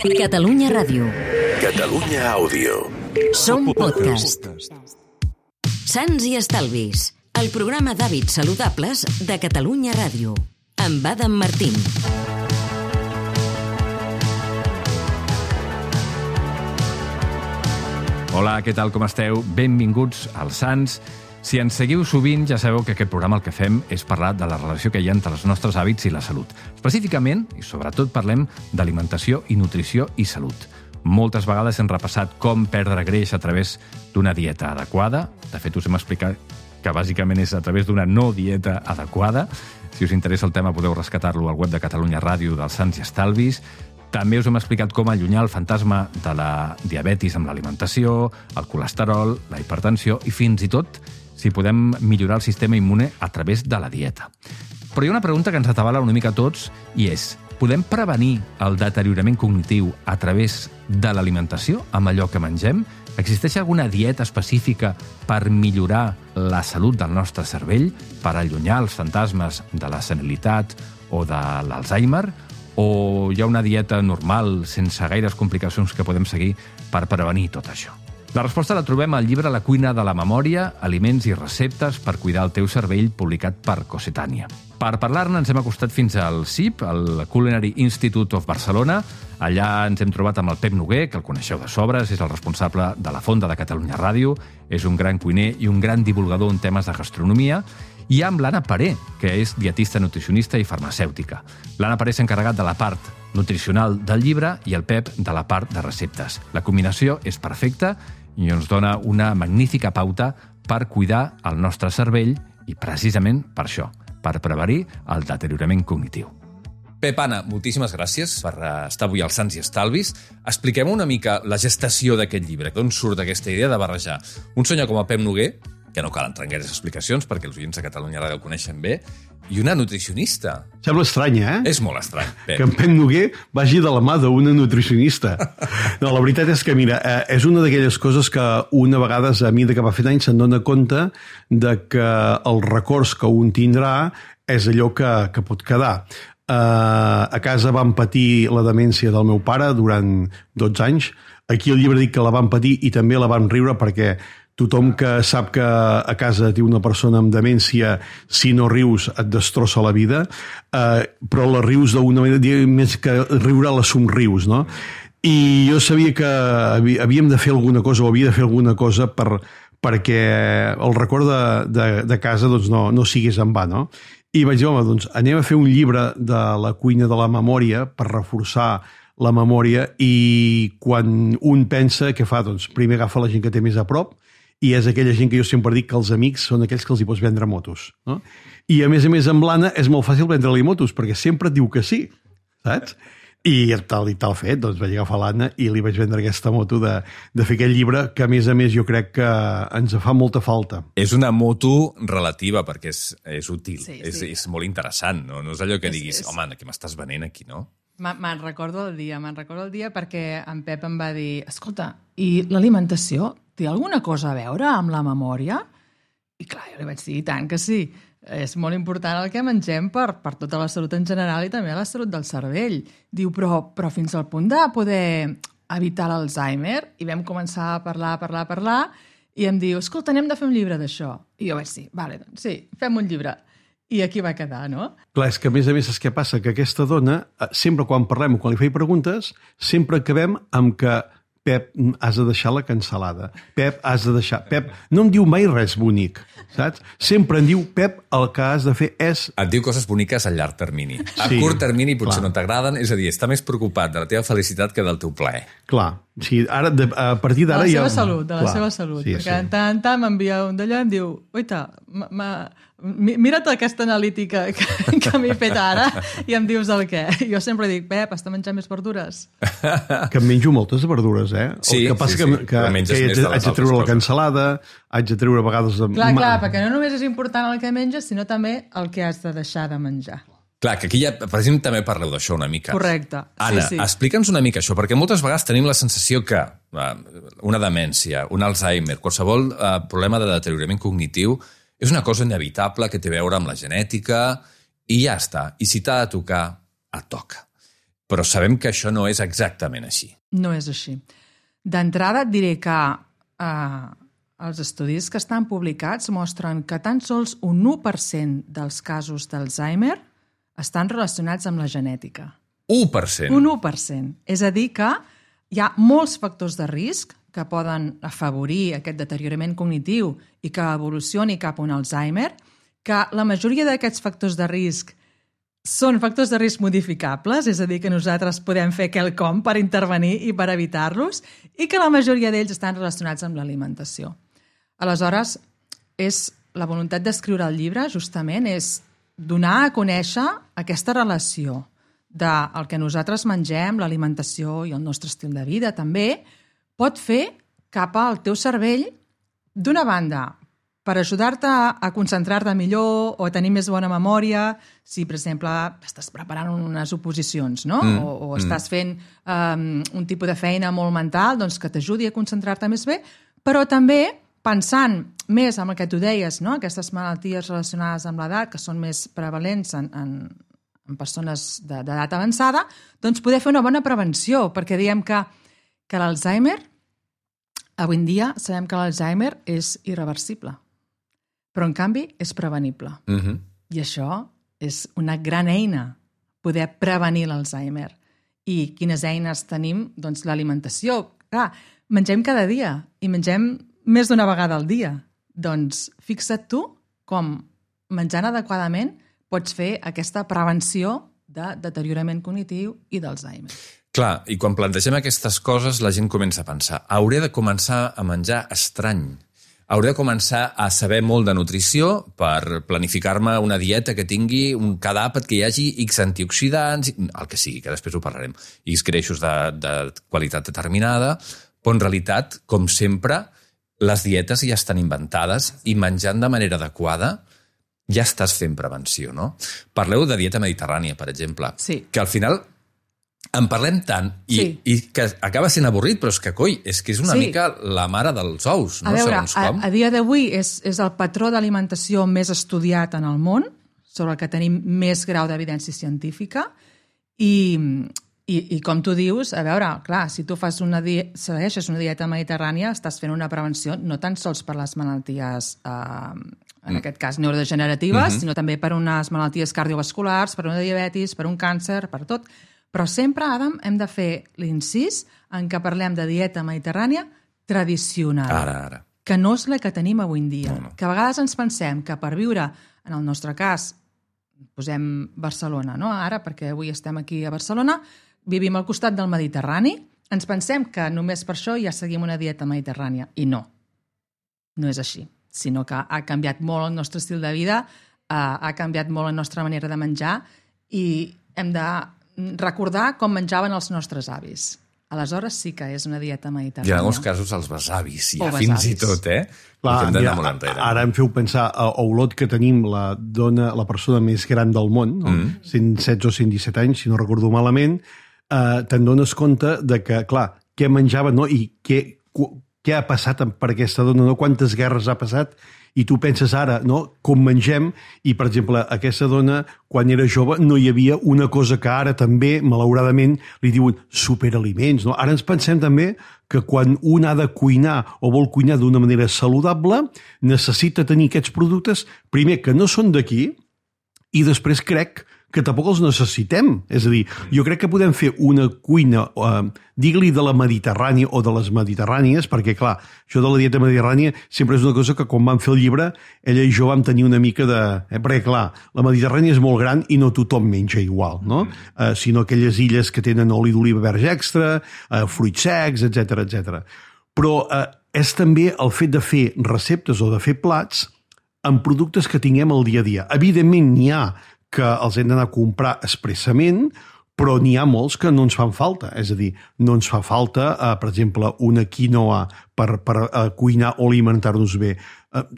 Catalunya Ràdio. Catalunya Àudio. Som podcast. Sants i Estalvis, el programa d'hàbits saludables de Catalunya Ràdio, amb Adam Martín. Hola, què tal, com esteu? Benvinguts als Sants. Si ens seguiu sovint, ja sabeu que aquest programa el que fem és parlar de la relació que hi ha entre els nostres hàbits i la salut. Específicament, i sobretot, parlem d'alimentació i nutrició i salut. Moltes vegades hem repassat com perdre greix a través d'una dieta adequada. De fet, us hem explicat que bàsicament és a través d'una no dieta adequada. Si us interessa el tema, podeu rescatar-lo al web de Catalunya Ràdio dels Sants i Estalvis. També us hem explicat com allunyar el fantasma de la diabetis amb l'alimentació, el colesterol, la hipertensió i fins i tot si podem millorar el sistema immune a través de la dieta. Però hi ha una pregunta que ens atabala una mica a tots i és: podem prevenir el deteriorament cognitiu a través de l'alimentació amb allò que mengem? Existeix alguna dieta específica per millorar la salut del nostre cervell, per allunyar els fantasmes de la senilitat o de l'Alzheimer? O hi ha una dieta normal, sense gaires complicacions que podem seguir per prevenir tot això? La resposta la trobem al llibre La cuina de la memòria, aliments i receptes per cuidar el teu cervell, publicat per Cossetània. Per parlar-ne ens hem acostat fins al CIP, el Culinary Institute of Barcelona. Allà ens hem trobat amb el Pep Noguer, que el coneixeu de sobres, és el responsable de la Fonda de Catalunya Ràdio, és un gran cuiner i un gran divulgador en temes de gastronomia, i amb l'Anna Paré, que és dietista, nutricionista i farmacèutica. L'Anna Paré s'ha encarregat de la part nutricional del llibre i el Pep de la part de receptes. La combinació és perfecta i ens dona una magnífica pauta per cuidar el nostre cervell i precisament per això, per prevenir el deteriorament cognitiu. Pep, Anna, moltíssimes gràcies per estar avui als Sants i Estalvis. Expliquem una mica la gestació d'aquest llibre, d'on surt aquesta idea de barrejar un senyor com el Pep Noguer, que no cal entrar en gaires explicacions perquè els oients de Catalunya Ràdio el coneixen bé, i una nutricionista. Sembla estrany, eh? És molt estrany, Pep. Que en Pep Noguer vagi de la mà d'una nutricionista. No, la veritat és que, mira, és una d'aquelles coses que una vegada, a mesura que va fent anys, se'n dona compte de que els records que un tindrà és allò que pot quedar. A casa vam patir la demència del meu pare durant 12 anys. Aquí al llibre dic que la vam patir i també la vam riure perquè tothom que sap que a casa té una persona amb demència, si no rius et destrossa la vida, però la rius d'una manera, més que riure la somrius, no? I jo sabia que havíem de fer alguna cosa, o havia de fer alguna cosa perquè el record de casa doncs, no sigués en va, no? I vaig dir, home, doncs anem a fer un llibre de la cuina de la memòria per reforçar la memòria, i quan un pensa, què fa? Doncs primer agafa la gent que té més a prop, i és aquella gent que jo sempre dic que els amics són aquells que els hi pots vendre motos, no? I a més, amb l'Anna és molt fàcil vendre-li motos, perquè sempre et diu que sí, saps? I tal fet, doncs vaig agafar l'Anna i li vaig vendre aquesta moto de fer aquest llibre, que a més jo crec que ens fa molta falta. És una moto relativa, perquè és útil, sí. És molt interessant, no? No és allò que diguis, home, què m'estàs venent aquí, no? Me'n recordo el dia perquè en Pep em va dir, escolta, i l'alimentació té alguna cosa a veure amb la memòria? I clar, jo li vaig dir, i tant que sí. És molt important el que mengem per tota la salut en general i també la salut del cervell. Diu, però fins al punt de poder evitar l'Alzheimer? I vam començar a parlar, i em diu, escolta, anem de fer un llibre d'això. I jo vaig dir, vale, doncs sí, fem un llibre. I aquí va quedar, no? Clar, és que a més saps què passa? Que aquesta dona, sempre quan parlem o quan li feia preguntes, sempre acabem amb que Pep, has de deixar la cansalada. Pep, has de deixar... Pep no em diu mai res bonic, saps? Sempre em diu, Pep, el que has de fer és... Et diu coses boniques a llarg termini. A curt termini potser no t'agraden, és a dir, està més preocupat de la teva felicitat que del teu plaer. Clar, sí, ara, a partir d'ara... De la seva salut, sí, perquè de tant en tant m'envia un d'allò i em diu, oita, mira't aquesta analítica que m'he fet ara i em dius el què. Jo sempre dic, Pep, has de menjar més verdures. Que em menjo moltes verdures, eh? Sí, el que passa que haig de treure la cansalada, haig de treure a vegades... Clar, perquè no només és important el que menges, sinó també el que has de deixar de menjar. Clar, que aquí ja, per exemple, també parleu d'això una mica. Correcte. Anna, explica'ns una mica això, perquè moltes vegades tenim la sensació que una demència, un Alzheimer, qualsevol problema de deteriorament cognitiu és una cosa inevitable que té a veure amb la genètica i ja està. I si t'ha de tocar, et toca. Però sabem que això no és exactament així. No és així. D'entrada et diré que els estudis que estan publicats mostren que tan sols un 1% dels casos d'Alzheimer estan relacionats amb la genètica. 1%? Un 1%. És a dir que hi ha molts factors de risc que poden afavorir aquest deteriorament cognitiu i que evolucioni cap a un Alzheimer, que la majoria d'aquests factors de risc són factors de risc modificables, és a dir, que nosaltres podem fer quelcom per intervenir i per evitar-los, i que la majoria d'ells estan relacionats amb l'alimentació. Aleshores, la voluntat d'escriure el llibre, justament, és donar a conèixer aquesta relació del que nosaltres mengem, l'alimentació i el nostre estil de vida, també, pot fer cap al teu cervell, d'una banda, per ajudar-te a concentrar-te millor o a tenir més bona memòria, si, per exemple, estàs preparant unes oposicions, no? O estàs fent un tipus de feina molt mental, doncs que t'ajudi a concentrar-te més bé, però també pensant més en el que tu deies, no? Aquestes malalties relacionades amb l'edat, que són més prevalents en persones d'edat avançada, doncs poder fer una bona prevenció, perquè diem que l'Alzheimer, avui en dia sabem que l'Alzheimer és irreversible, però en canvi és prevenible. I això és una gran eina, poder prevenir l'Alzheimer. I quines eines tenim? Doncs l'alimentació. Clar, mengem cada dia i mengem més d'una vegada al dia. Doncs fixa't tu com menjant adequadament pots fer aquesta prevenció de deteriorament cognitiu i d'Alzheimer. Clar, i quan plantegem aquestes coses la gent comença a pensar hauré de començar a menjar estrany. Hauré de començar a saber molt de nutrició per planificar-me una dieta que tingui cada àpat que hi hagi X antioxidants, el que sigui, que després ho parlarem, X greixos de qualitat determinada, però en realitat, com sempre, les dietes ja estan inventades i menjant de manera adequada ja estàs fent prevenció, no? Parleu de dieta mediterrània, per exemple, que al final en parlem tant i que acaba sent avorrit, però és que, coi, és una mica la mare dels ous, no? A veure, a dia d'avui és el patró d'alimentació més estudiat en el món, sobre el que tenim més grau d'evidència científica, i com tu dius, a veure, clar, si tu segueixes una dieta mediterrània, estàs fent una prevenció no tan sols per les malalties, en aquest cas neurodegeneratives, sinó també per unes malalties cardiovasculars, per una diabetis, per un càncer, per tot. Però sempre, Adam, hem de fer l'incís en què parlem de dieta mediterrània tradicional, ara. Que no és la que tenim avui en dia. No. Que a vegades ens pensem que per viure, en el nostre cas, posem Barcelona, no? Ara, perquè avui estem aquí a Barcelona, vivim al costat del Mediterrani, ens pensem que només per això ja seguim una dieta mediterrània. I no és així, sinó que ha canviat molt el nostre estil de vida, ha canviat molt la nostra manera de menjar i hem de recordar com menjaven els nostres avis. Aleshores sí que és una dieta mediterrània. I en alguns casos els besavis, ja fins i tot, Clar, ara em feu pensar a Olot, que tenim la persona més gran del món, 116 o 117 anys, si no recordo malament, te'n dones compte de que, clar, què menjava, no? I què ha passat per aquesta dona, no? Quantes guerres ha passat, i tu penses ara, no?, com mengem, i, per exemple, aquesta dona, quan era jove, no hi havia una cosa que ara també, malauradament, li diuen superaliments, no? Ara ens pensem també que quan un ha de cuinar o vol cuinar d'una manera saludable, necessita tenir aquests productes, primer, que no són d'aquí, i després crec que tampoc els necessitem. És a dir, jo crec que podem fer una cuina, digue-li de la Mediterrània o de les mediterrànies, perquè, clar, això de la dieta mediterrània sempre és una cosa que quan vam fer el llibre, ella i jo vam tenir una mica de... Perquè, clar, la Mediterrània és molt gran i no tothom menja igual, no? Sinó aquelles illes que tenen oli d'oliva verge extra, fruits secs, etc. Però és també el fet de fer receptes o de fer plats amb productes que tinguem al dia a dia. Evidentment, n'hi ha que els hem d'anar a comprar expressament, però n'hi ha molts que no ens fan falta. És a dir, no ens fa falta, per exemple, una quinoa per cuinar o alimentar-nos bé.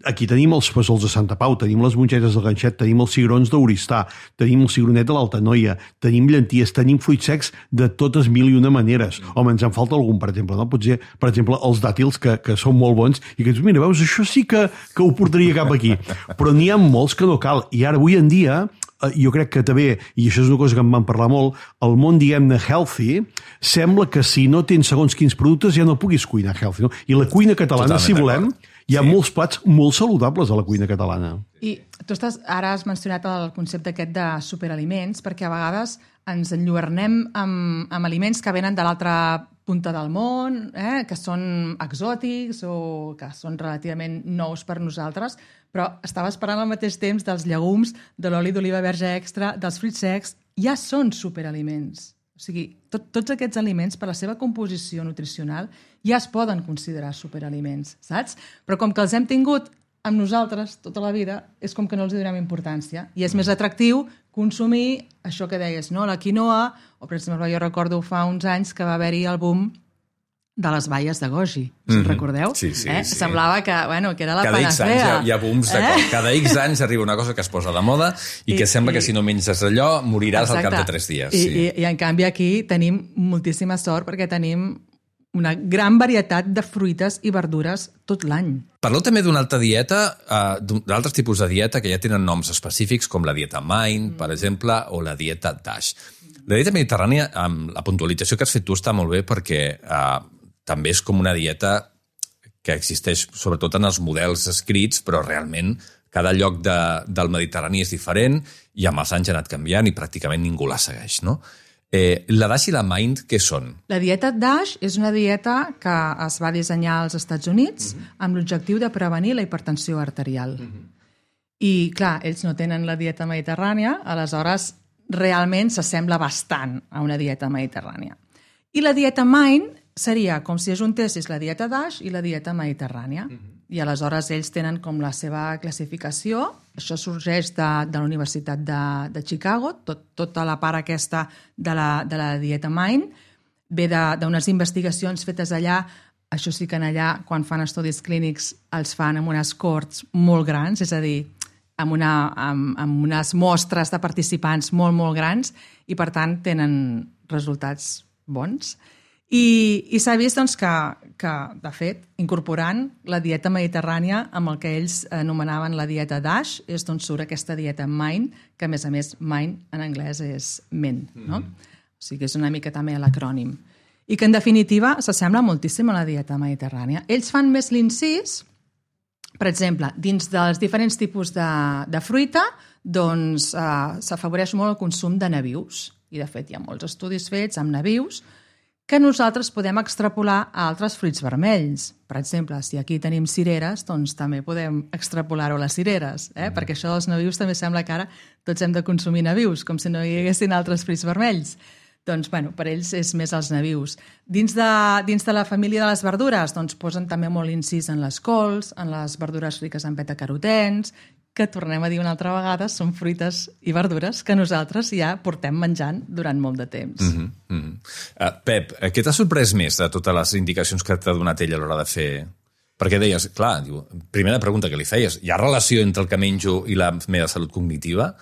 Aquí tenim els fesols de Santa Pau, tenim les mongetes del Ganxet, tenim els cigrons d'Oristà, tenim el cigronet de l'Altanoia, tenim llenties, tenim fruits secs de totes mil i una maneres. Home, ens en falta algun, per exemple, no? Potser, per exemple, els dàtils, que són molt bons, i que dius, mira, veus, això sí que ho portaria cap aquí. Però n'hi ha molts que no cal. I ara, avui en dia, jo crec que també, i això és una cosa que em van parlar molt, el món, diguem-ne, healthy, sembla que si no tens segons quins productes ja no puguis cuinar healthy. No? I la cuina catalana, si volem, hi ha molts plats molt saludables a la cuina catalana. I tu ara has mencionat el concepte aquest de superaliments, perquè a vegades ens enlluernem amb aliments que venen de l'altra punta del món, que són exòtics o que són relativament nous per nosaltres, però estava esperant al mateix temps dels llegums, de l'oli d'oliva verge extra, dels fruits secs, ja són superaliments. O sigui, tots aquests aliments, per la seva composició nutricional, ja es poden considerar superaliments, saps? Però com que els hem tingut amb nosaltres tota la vida, és com que no els donem importància. I és més atractiu consumir això que deies, no? La quinoa, o per exemple, jo recordo fa uns anys que va haver-hi el boom de les baies de goji, si recordeu? Sí. Semblava que, que era la cada panacea. Cada X anys hi ha booms, cada X anys arriba una cosa que es posa de moda i que sembla que si no menges allò moriràs al cap de 3 dies. I en canvi aquí tenim moltíssima sort perquè tenim una gran varietat de fruites i verdures tot l'any. Parleu també d'una altra dieta, d'altres tipus de dieta que ja tenen noms específics, com la dieta Mind, per exemple, o la dieta DASH. La dieta mediterrània, amb la puntualització que has fet tu, està molt bé perquè també és com una dieta que existeix sobretot en els models escrits, però realment cada lloc del Mediterrani és diferent i amb els anys ha anat canviant i pràcticament ningú la segueix, no? La DASH i la Mind, què són? La dieta DASH és una dieta que es va dissenyar als Estats Units amb l'objectiu de prevenir la hipertensió arterial. I, clar, ells no tenen la dieta mediterrània, aleshores realment s'assembla bastant a una dieta mediterrània. I la dieta Mind seria com si ajuntessis la dieta DASH i la dieta mediterrània. I aleshores ells tenen com la seva classificació. Això sorgeix de la Universitat de Chicago, tota la part aquesta de la dieta Mind. Ve d'unes investigacions fetes allà. Això sí que allà, quan fan estudis clínics, els fan amb unes cohorts molt grans, és a dir, amb unes mostres de participants molt, molt grans, i per tant tenen resultats bons. I s'ha vist doncs, que, de fet, incorporant la dieta mediterrània amb el que ells anomenaven la dieta DASH, és d'on surt aquesta dieta Mind, que a més Mind en anglès és ment, no? O sigui, és una mica també l'acrònim. I que, en definitiva, s'assembla moltíssim a la dieta mediterrània. Ells fan més l'incís, per exemple, dins dels diferents tipus de fruita, doncs s'afavoreix molt el consum de nabius. I, de fet, hi ha molts estudis fets amb nabius que nosaltres podem extrapolar a altres fruits vermells. Per exemple, si aquí tenim cireres, doncs també podem extrapolar-ho a les cireres, perquè això dels nabius també sembla que ara tots hem de consumir nabius, com si no hi haguessin altres fruits vermells. Doncs, per ells és més els nabius. Dins de la família de les verdures, doncs posen també molt incís en les cols, en les verdures riques en betacarotens, que tornem a dir una altra vegada, són fruites i verdures que nosaltres ja portem menjant durant molt de temps. Pep, què t'ha sorprès més de totes les indicacions que t'ha donat ell a l'hora de fer? Perquè deies, clar, primera pregunta que li feies, hi ha relació entre el que menjo i la meva salut cognitiva?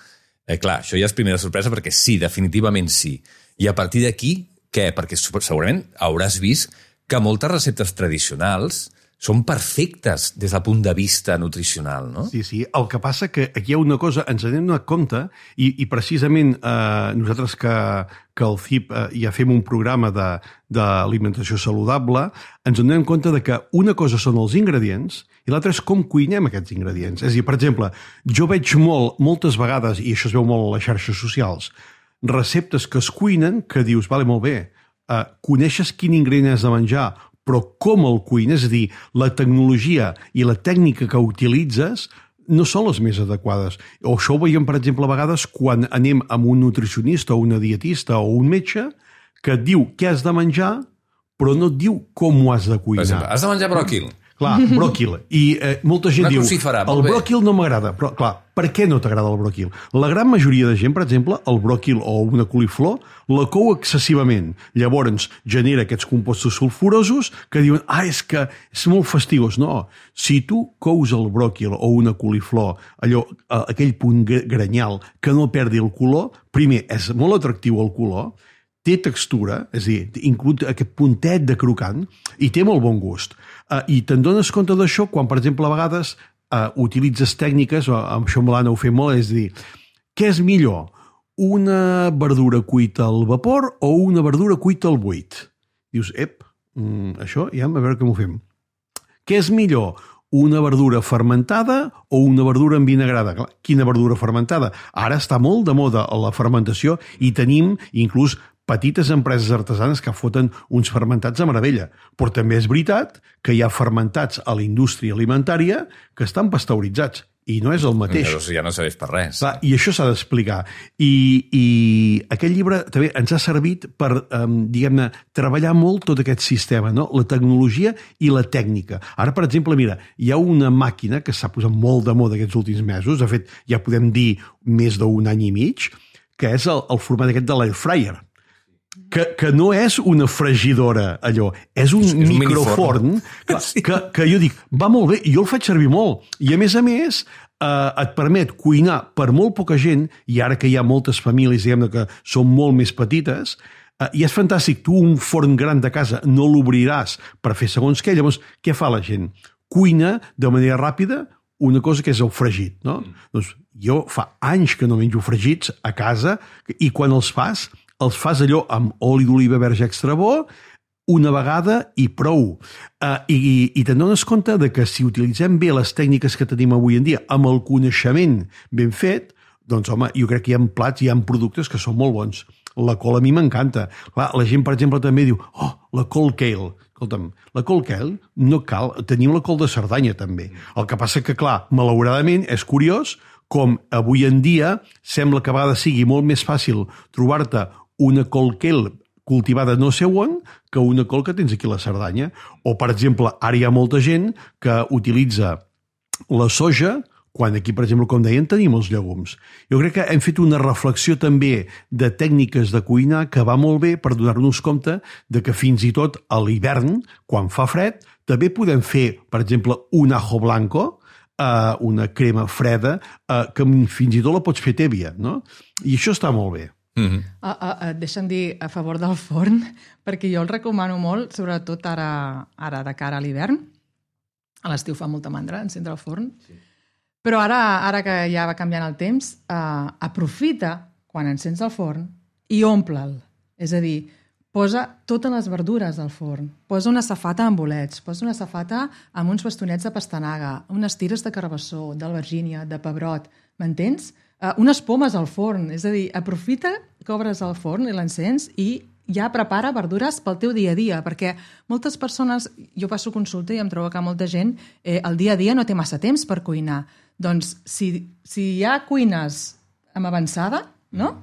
Clar, això ja és primera sorpresa perquè sí, definitivament sí. I a partir d'aquí, què? Perquè segurament hauràs vist que moltes receptes tradicionals són perfectes des del punt de vista nutricional, no? Sí. El que passa que aquí hi ha una cosa, ens n'hem donat compte, i precisament nosaltres que al CIP ja fem un programa d'alimentació saludable, ens donem compte de que una cosa són els ingredients i l'altra és com cuinem aquests ingredients. És a dir, per exemple, jo veig moltes vegades, i això es veu molt a les xarxes socials, receptes que es cuinen que dius, vale, molt bé, coneixes quin ingredient has de menjar, però com el cuines, és a dir, la tecnologia i la tècnica que utilitzes no són les més adequades. O això ho veiem, per exemple, a vegades quan anem amb un nutricionista o una dietista o un metge que et diu què has de menjar, però no et diu com ho has de cuinar. Per exemple, has de menjar bròquil. Clar, bròquil. I molta gent diu, el bròquil no m'agrada. Però, clar, per què no t'agrada el bròquil? La gran majoria de gent, per exemple, el bròquil o una coliflor, la cou excessivament. Llavors genera aquests compostos sulfurosos que diuen, és que és molt fastigós. No, si tu cous el bròquil o una coliflor, aquell punt granyal que no perdi el color, primer, és molt atractiu el color, té textura, és a dir, inclús aquest puntet de crocant, i té molt bon gust. I te'n dones compte d'això quan, per exemple, a vegades utilitzes tècniques, amb això amb l'Anna ho fem molt, és a dir, què és millor? Una verdura cuita al vapor o una verdura cuita al buit? Dius, això ja a veure com ho fem. Què és millor? Una verdura fermentada o una verdura envinagrada? Clar, quina verdura fermentada? Ara està molt de moda la fermentació i tenim inclús petites empreses artesanes que foten uns fermentats a meravella. Però també és veritat que hi ha fermentats a la indústria alimentària que estan pasteuritzats i no és el mateix. Ja no serveix per res. Clar, i això s'ha d'explicar. I aquest llibre també ens ha servit per, diguem-ne, treballar molt tot aquest sistema, no? La tecnologia i la tècnica. Ara, per exemple, mira, hi ha una màquina que s'ha posat molt de moda aquests últims mesos, de fet, ja podem dir més d'un any i mig, que és el format aquest de l'air fryer. Que no és una fregidora, allò, és un microforn que jo dic, va molt bé, jo el faig servir molt. I a més, et permet cuinar per molt poca gent, i ara que hi ha moltes famílies, diguem-ne, que són molt més petites, i és fantàstic, tu un forn gran de casa no l'obriràs per fer segons què, llavors què fa la gent? Cuina de manera ràpida una cosa que és el fregit, no? Doncs jo fa anys que no menjo fregits a casa, i quan els fas allò amb oli d'oliva verge extra bo, una vegada i prou. I te'n dones compte de que si utilitzem bé les tècniques que tenim avui en dia, amb el coneixement ben fet, doncs, home, jo crec que hi ha plats, hi ha productes que són molt bons. La col a mi m'encanta. Clar, la gent, per exemple, també diu, la col kale. Escolta'm, la col kale no cal, tenim la col de Cerdanya també. El que passa que, clar, malauradament, és curiós com avui en dia sembla que a vegades sigui molt més fàcil trobar-te una col kale cultivada no sé on que una col que tens aquí a la Cerdanya. O, per exemple, ara hi ha molta gent que utilitza la soja quan aquí, per exemple, com deien, tenim els llegums. Jo crec que hem fet una reflexió també de tècniques de cuinar que va molt bé per donar-nos compte de que fins i tot a l'hivern, quan fa fred, també podem fer, per exemple, un ajo blanco, una crema freda, que fins i tot la pots fer tèbia, no? I això està molt bé. Deixa'm dir a favor del forn, perquè jo el recomano molt, sobretot ara de cara a l'hivern. A l'estiu fa molta mandra encendre el forn. Sí. Però ara que ja va canviant el temps, aprofita quan encens el forn i omple'l. És a dir, posa totes les verdures al forn. Posa una safata amb bolets, posa una safata amb uns bastonets de pastanaga, unes tires de carbassó, d'albergínia, de pebrot. M'entens? Unes pomes al forn. És a dir, aprofita que obres el forn i l'encens i ja prepara verdures pel teu dia a dia, perquè moltes persones, jo passo consulta i em trobo que molta gent el dia a dia no té massa temps per cuinar. Doncs si ja cuines amb avançada, no?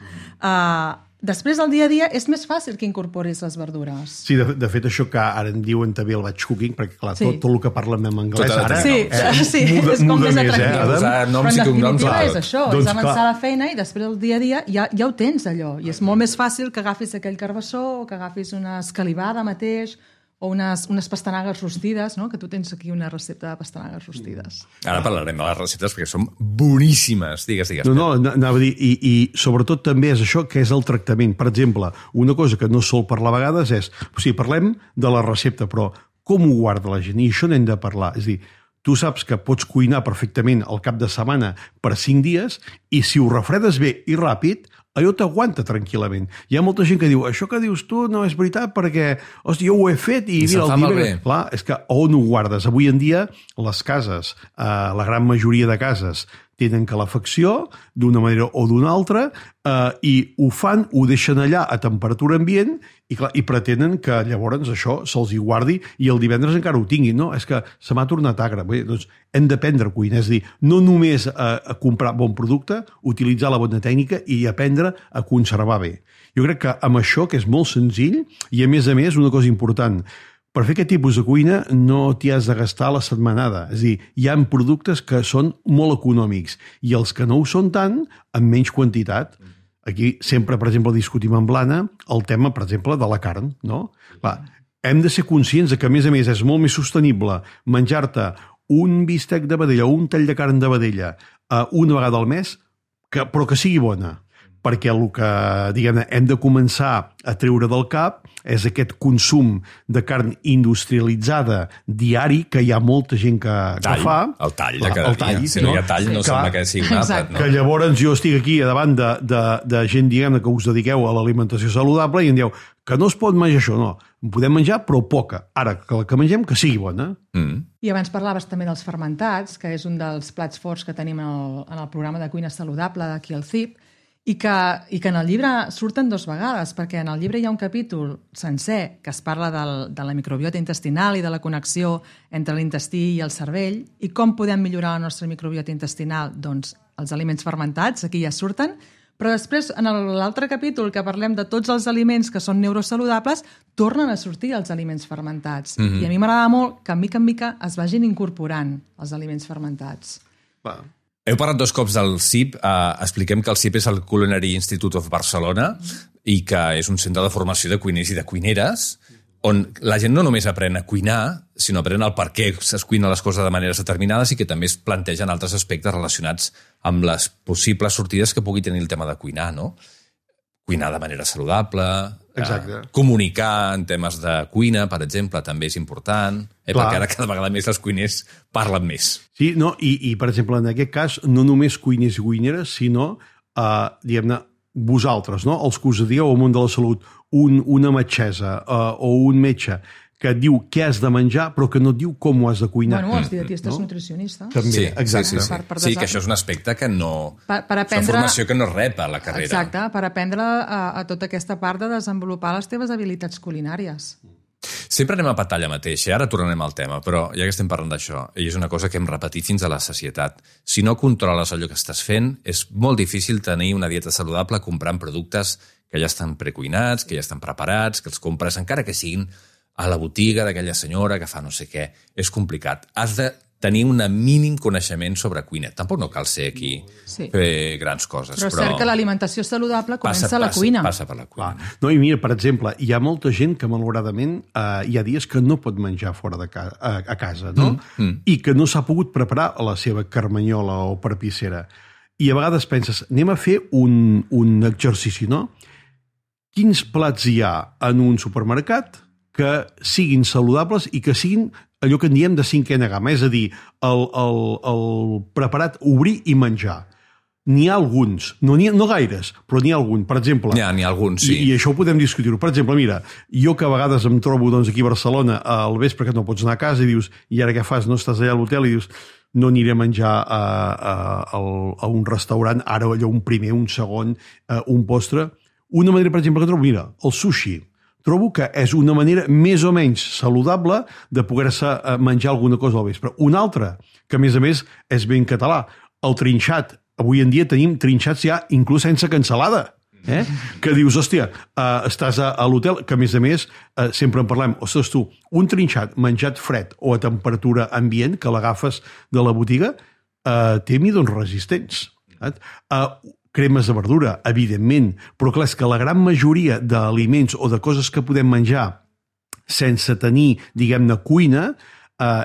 Després del dia a dia és més fàcil que incorporis les verdures. Sí, de fet això que ara en diuen també el batch cooking, perquè clar, tot el que parlem en anglès ara és com més atractiu. Però en definitiva és això, és avançar la feina i després del dia a dia ja ho tens allò. I és molt més fàcil que agafis aquell carbassó o que agafis una escalivada mateix o unes pastanagues rostides, no? Que tu tens aquí una recepta de pastanagues rostides. Ara parlarem de les receptes perquè són boníssimes. Digues. No, anava a dir, i sobretot també és això que és el tractament. Per exemple, una cosa que no sol parlar a vegades és, o sigui, parlem de la recepta, però com ho guarda la gent? I això n'hem de parlar. És a dir, tu saps que pots cuinar perfectament al cap de setmana per 5 dies i si ho refredes bé i ràpid, allò t'aguanta tranquil·lament. Hi ha molta gent que diu, això que dius tu no és veritat perquè, hòstia, jo ho he fet i mira, el dia... Clar, és que on ho guardes? Avui en dia, les cases, la gran majoria de cases, tenen calefacció d'una manera o d'una altra i ho fan, ho deixen allà a temperatura ambient i, clar, i pretenen que llavors això se'ls hi guardi i el divendres encara ho tinguin. No, és que se m'ha tornat agre. Bé, doncs hem d'aprendre a cuinar, és a dir, no només a comprar bon producte, utilitzar la bona tècnica i aprendre a conservar bé. Jo crec que amb això, que és molt senzill, i a més, una cosa important, per fer aquest tipus de cuina no t'hi has de gastar la setmanada. És a dir, hi ha productes que són molt econòmics i els que no ho són tant, en menys quantitat. Aquí sempre, per exemple, discutim amb l'Anna el tema, per exemple, de la carn, no? Clar, hem de ser conscients que, a més, és molt més sostenible menjar-te un bistec de vedella o un tall de carn de vedella una vegada al mes, però que sigui bona. perquè el que, diguem-ne, hem de començar a treure del cap és aquest consum de carn industrialitzada diari, que hi ha molta gent que fa. El tall de cada dia. Si no hi ha tall, no sembla que sigui un àpat. No? Que llavors jo estic aquí davant de gent, diguem-ne, que us dediqueu a l'alimentació saludable i em dieu que no es pot menjar això, no. En podem menjar, però poca. Ara, que la que mengem, que sigui bona. I abans parlaves també dels fermentats, que és un dels plats forts que tenim en el programa de cuina saludable d'aquí al CIP, i que en el llibre surten 2 vegades, perquè en el llibre hi ha un capítol sencer que es parla de la microbiota intestinal i de la connexió entre l'intestí i el cervell, i com podem millorar la nostra microbiota intestinal. Doncs els aliments fermentats, aquí ja surten, però després, en l'altre capítol que parlem de tots els aliments que són neurosaludables, tornen a sortir els aliments fermentats. I a mi m'agrada molt que, mica en mica, es vagin incorporant els aliments fermentats. Va. Heu parlat 2 cops del CIP. Expliquem que el CIP és el Culinary Institute of Barcelona i que és un centre de formació de cuiners i de cuineres on la gent no només aprèn a cuinar, sinó aprèn el per què es cuina les coses de maneres determinades i que també es plantegen altres aspectes relacionats amb les possibles sortides que pugui tenir el tema de cuinar, no? Cuinar de manera saludable, comunicar en temes de cuina, per exemple, també és important, perquè ara cada vegada més els cuiners parlen més. Sí, no, i per exemple, en aquest cas, no només cuiners i cuineres, sinó, diguem-ne, vosaltres, no? Els que us dieu al món de la salut, una metgessa o un metge que et diu què has de menjar, però que no et diu com ho has de cuinar. Bueno, els dietistes nutricionistes. També, sí, exacte. Sí, que això és un aspecte que no... Per aprendre... És una formació que no es rep a la carrera. Exacte, per aprendre a tota aquesta part de desenvolupar les teves habilitats culinàries. Sempre anem a petar allà mateix, ara tornarem al tema, però ja que estem parlant d'això, i és una cosa que hem repetit fins a la sacietat, si no controles allò que estàs fent, és molt difícil tenir una dieta saludable comprant productes que ja estan precuinats, que ja estan preparats, que els compres, encara que siguin a la botiga d'aquella senyora que fa no sé què. És complicat. Has de tenir un mínim coneixement sobre cuina. Tampoc no cal ser aquí fer grans coses. Però és cert que l'alimentació saludable comença a la cuina. Passa per la cuina. No, i mira, per exemple, hi ha molta gent que malauradament hi ha dies que no pot menjar fora de a casa, no? I que no s'ha pogut preparar la seva carmanyola o perpissera. I a vegades penses, anem a fer un exercici, no? Quins plats hi ha en un supermercat que siguin saludables i que siguin allò que en diem de 5a gamma, és a dir, el preparat obrir i menjar. N'hi ha alguns, no gaires, però n'hi ha algun. Per exemple... N'hi ha alguns, sí. I això ho podem discutir-ho. Per exemple, mira, jo que a vegades em trobo aquí a Barcelona al vespre que no pots anar a casa i dius, i ara què fas? No estàs allà a l'hotel i dius, no aniré a menjar a un restaurant, ara allò un primer, un segon, un postre. Una manera, per exemple, que trobo, mira, el sushi. Trobo que és una manera més o menys saludable de poder-se menjar alguna cosa al vespre. Una altra, que a més és ben català, el trinxat. Avui en dia tenim trinxats ja inclús sense cansalada. Que dius, hòstia, estàs a l'hotel, que a més sempre en parlem, ostres tu, un trinxat menjat fred o a temperatura ambient, que l'agafes de la botiga, té midons resistents. Cremes de verdura, evidentment, però clar, és que la gran majoria d'aliments o de coses que podem menjar sense tenir, diguem-ne, cuina,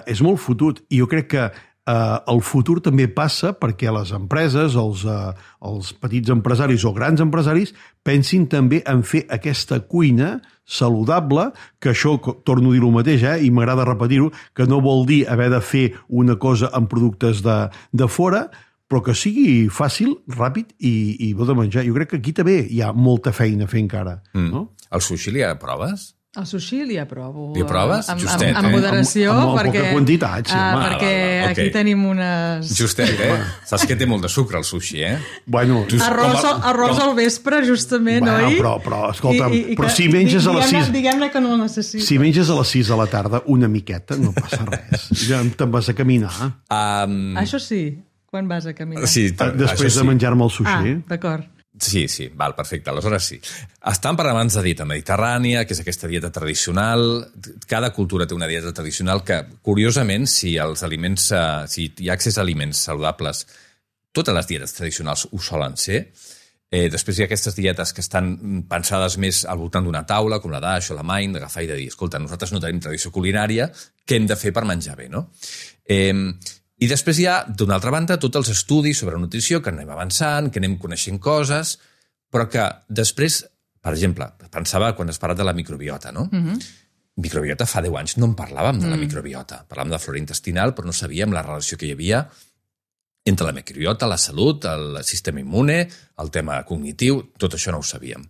és molt fotut. I jo crec que el futur també passa perquè les empreses, els petits empresaris o grans empresaris, pensin també en fer aquesta cuina saludable, que això, torno a dir el mateix, i m'agrada repetir-ho, que no vol dir haver de fer una cosa amb productes de fora, però que sigui fàcil, ràpid i bo de menjar. Jo crec que aquí també hi ha molta feina a fer encara. No? El sushi li proves? El sushi li aprovo. Li proves? Justet, amb moderació. Amb perquè, poca quantitat, sí. Perquè aquí tenim unes... Justet, Saps que té molt de sucre, el sushi, Bueno... Arròs al vespre, justament, oi? Però escolta, però si menges a les 6... Diguem-ne que no el necessito. Si menges a les 6 de la tarda una miqueta, no passa res. Ja te'n vas a caminar. Això sí, quan vas a caminar. Sí, després de menjar-me el sushi. D'acord. Sí, val, perfecte. Aleshores sí. Estan parlant abans de dieta mediterrània, que és aquesta dieta tradicional. Cada cultura té una dieta tradicional que, curiosament, si hi ha accés a aliments saludables, totes les dietes tradicionals ho solen ser. Després hi ha aquestes dietes que estan pensades més al voltant d'una taula, com la d'Aix o la Main, d'agafar i de dir, escolta, nosaltres no tenim tradició culinària, què hem de fer per menjar bé, no? I després hi ha, d'una altra banda, tots els estudis sobre nutrició, que anem avançant, que anem coneixent coses, però que després, per exemple, pensava quan has parlat de la microbiota, no? Microbiota fa 10 anys no en parlàvem de la microbiota. Parlàvem de flora intestinal, però no sabíem la relació que hi havia entre la microbiota, la salut, el sistema immune, el tema cognitiu, tot això no ho sabíem.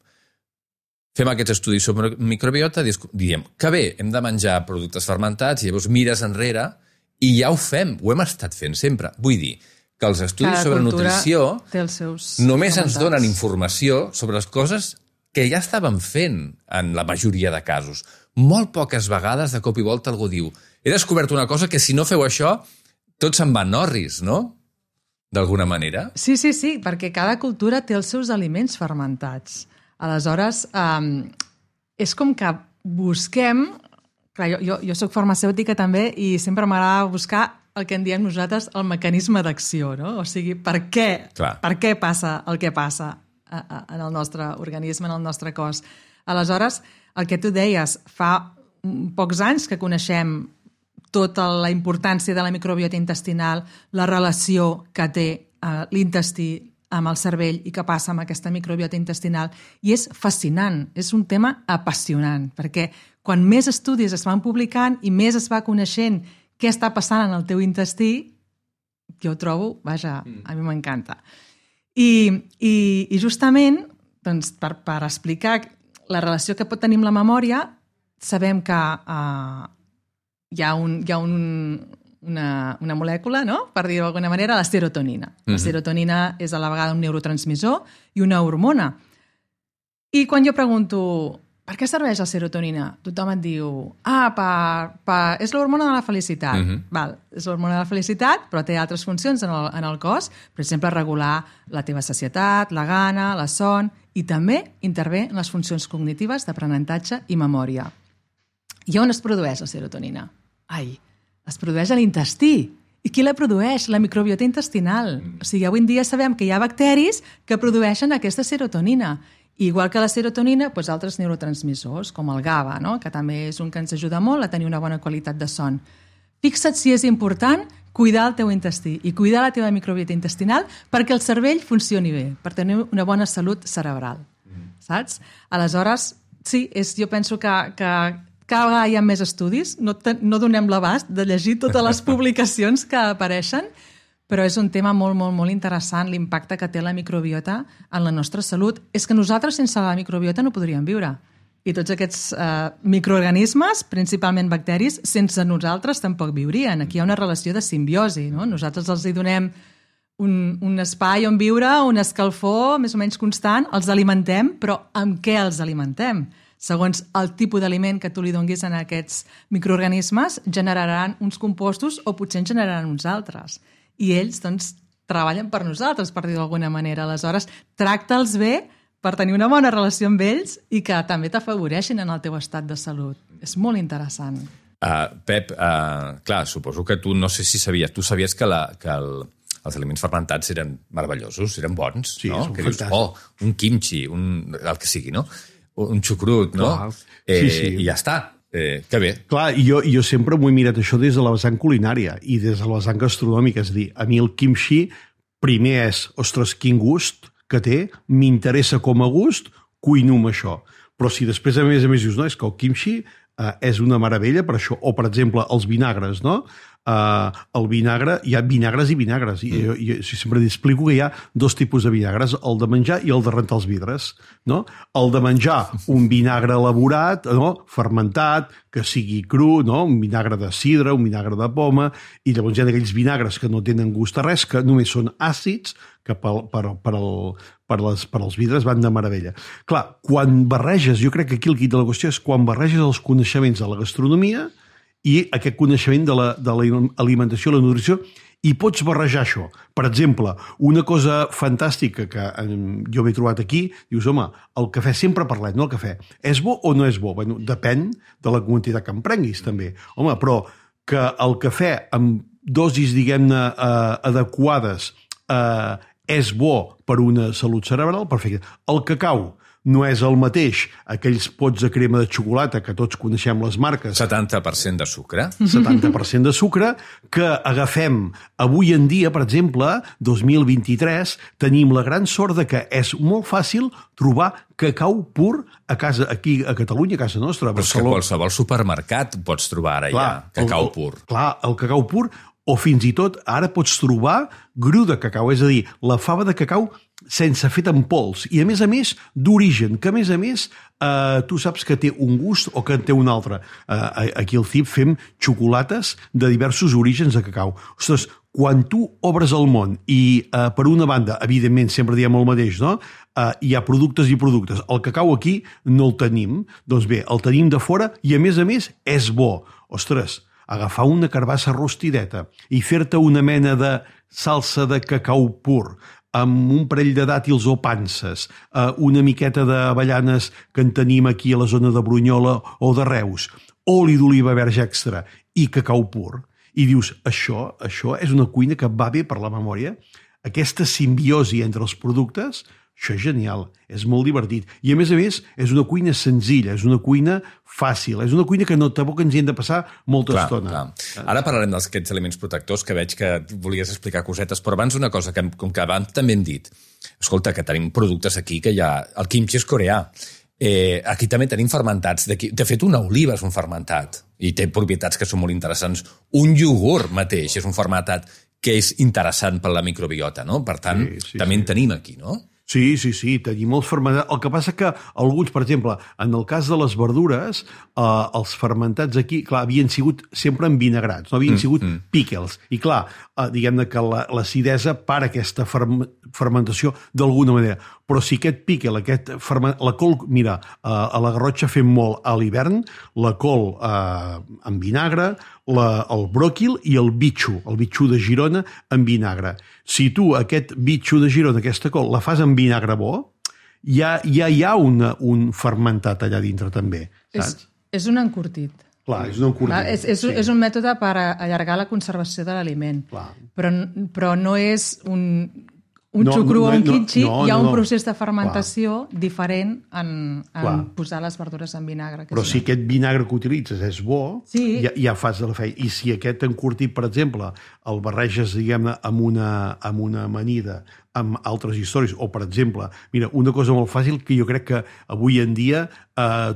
Fem aquests estudis sobre microbiota, diem que bé, hem de menjar productes fermentats, i llavors mires enrere i ja ho fem, ho hem estat fent sempre. Vull dir que els estudis sobre nutrició només ens donen informació sobre les coses que ja estàvem fent en la majoria de casos. Molt poques vegades, de cop i volta, algú diu he descobert una cosa que si no feu això tot se'n va en orris, no? D'alguna manera. Sí, perquè cada cultura té els seus aliments fermentats. Aleshores, és com que busquem... Clar, jo soc farmacèutica també i sempre m'agrada buscar el que en diem nosaltres el mecanisme d'acció, no? O sigui, per què passa el que passa en el nostre organisme, en el nostre cos. Aleshores, el que tu deies, fa pocs anys que coneixem tota la importància de la microbiota intestinal, la relació que té l'intestí amb el cervell i què passa amb aquesta microbiota intestinal. I és fascinant, és un tema apassionant, perquè quan més estudis es van publicant i més es va coneixent què està passant en el teu intestí, jo ho trobo, vaja, a mi m'encanta. I justament, doncs, per explicar la relació que pot tenir amb la memòria, sabem que hi ha una molècula, no? Per dir-ho d'alguna manera, la serotonina. La serotonina és a la vegada un neurotransmissor i una hormona. I quan jo pregunto per què serveix la serotonina? Tothom et diu és l'hormona de la felicitat. Val, és l'hormona de la felicitat, però té altres funcions en el cos. Per exemple, regular la teva sacietat, la gana, la son, i també intervé en les funcions cognitives d'aprenentatge i memòria. I on es produeix la serotonina? Es produeix a l'intestí. I qui la produeix? La microbiota intestinal. O sigui, avui en dia sabem que hi ha bacteris que produeixen aquesta serotonina. Igual que la serotonina, doncs altres neurotransmissors, com el GABA, no? Que també és un que ens ajuda molt a tenir una bona qualitat de son. Fixa't si és important cuidar el teu intestí i cuidar la teva microbiota intestinal perquè el cervell funcioni bé, per tenir una bona salut cerebral. Saps? Aleshores, sí, jo penso que cada vegada hi ha més estudis, no donem l'abast de llegir totes les publicacions que apareixen, però és un tema molt, molt, molt interessant l'impacte que té la microbiota en la nostra salut. És que nosaltres sense la microbiota no podríem viure. I tots aquests microorganismes, principalment bacteris, sense nosaltres tampoc viurien. Aquí hi ha una relació de simbiosi, no? Nosaltres els hi donem un espai on viure, un escalfor més o menys constant, els alimentem, però amb què els alimentem? Segons el tipus d'aliment que tu li donguis a aquests microorganismes, generaran uns compostos o potser en generaran uns altres. I ells, doncs, treballen per nosaltres, per dir-ho d'alguna manera. Aleshores, tracta'ls bé per tenir una bona relació amb ells i que també t'afavoreixin en el teu estat de salut. És molt interessant. Pep, clar, suposo que tu, no sé si sabies, tu sabies que els aliments fermentats eren meravellosos, eren bons, sí, no? Que dius, un kimchi, el que sigui, no? Un xucrut, no? Sí. I ja està. Que bé. Clar, jo sempre m'ho he mirat això des de la vessant culinària i des de la vessant gastronòmica. És a dir, a mi el kimchi primer és, ostres, quin gust que té, m'interessa com a gust, cuino amb això. Però si després, a més dius, no, és que el kimchi és una meravella per això. O, per exemple, els vinagres, no? El vinagre, hi ha vinagres i vinagres. Jo sempre explico que hi ha dos tipus de vinagres, el de menjar i el de rentar els vidres. No? El de menjar, un vinagre elaborat, no? Fermentat, que sigui cru, no? Un vinagre de sidra, un vinagre de poma, i llavors hi ha aquells vinagres que no tenen gust a res, que només són àcids, que per als vidres van de meravella. Clar, quan barreges, jo crec que aquí el quid de la qüestió és quan barreges els coneixements de la gastronomia i aquest coneixement de l'alimentació, la nutrició, i pots barrejar això. Per exemple, una cosa fantàstica que jo m'he trobat aquí, dius, home, el cafè, sempre parlem, no, el cafè, és bo o no és bo? Bueno, depèn de la quantitat que emprenguis, també. Home, però que el cafè amb dosis, diguem-ne, adequades és bo per una salut cerebral, perfecte. El cacau, no és el mateix aquells pots de crema de xocolata, que tots coneixem les marques, 70% de sucre. 70% de sucre, que agafem avui en dia, per exemple, 2023, tenim la gran sort de que és molt fàcil trobar cacau pur a casa, aquí a Catalunya, a casa nostra. Però és que a qualsevol supermercat pots trobar ara ja cacau pur. Clar, el cacau pur, o fins i tot ara pots trobar gru de cacau, és a dir, la fava de cacau sense fet en pols, i a més, d'origen, que a més, tu saps que té un gust o que en té un altre. Aquí al CIP fem xocolates de diversos orígens de cacau. Ostres, quan tu obres el món i, per una banda, evidentment, sempre diem el mateix, no? Hi ha productes i productes. El cacau aquí no el tenim, doncs bé, el tenim de fora i, a més, és bo. Ostres, agafar una carbassa rostideta i fer-te una mena de salsa de cacau pur amb un parell de dàtils o panses, una miqueta d'avellanes que en tenim aquí a la zona de Brunyola o de Reus, oli d'oliva verge extra i cacau pur, i dius, això és una cuina que va bé per la memòria, aquesta simbiosi entre els productes, això és genial, és molt divertit. I a més, és una cuina senzilla, és una cuina fàcil, és una cuina que tampoc ens hi hem de passar molta estona. Clar. Ara parlarem d'aquests aliments protectors, que veig que volies explicar cosetes, però abans una cosa, com que abans també hem dit, escolta, que tenim productes aquí, que hi ha... El kimchi és coreà. Aquí també tenim fermentats. De fet, una oliva és un fermentat i té propietats que són molt interessants. Un iogurt mateix és un fermentat que és interessant per la microbiota, no? Per tant, també en tenim aquí, no? Sí, tenim els fermentats. El que passa que alguns, per exemple, en el cas de les verdures, els fermentats aquí, clar, havien sigut sempre envinagrats, no havien sigut pickles. I clar, diguem-ne que l'acidesa para aquesta fermentació d'alguna manera. Però si aquest pickle, la col, mira, a la Garrotxa fem molt a l'hivern, la col en vinagre, el bròquil i el bitxo de Girona en vinagre. Si tu aquest bitxo de Girona, aquesta col, la fas en vinagre bo, ja hi ha un fermentat allà dintre també, saps? És un encurtit. Clar, és un encurtit. És un mètode per allargar la conservació de l'aliment, però no és un xucru o un kimchi, hi ha un procés de fermentació diferent en posar les verdures en vinagre. Però si aquest vinagre que utilitzes és bo, ja fas de la feina. I si aquest encurtit, per exemple, el barreges, diguem-ne, amb una amanida, amb altres històries, o, per exemple, mira, una cosa molt fàcil que jo crec que avui en dia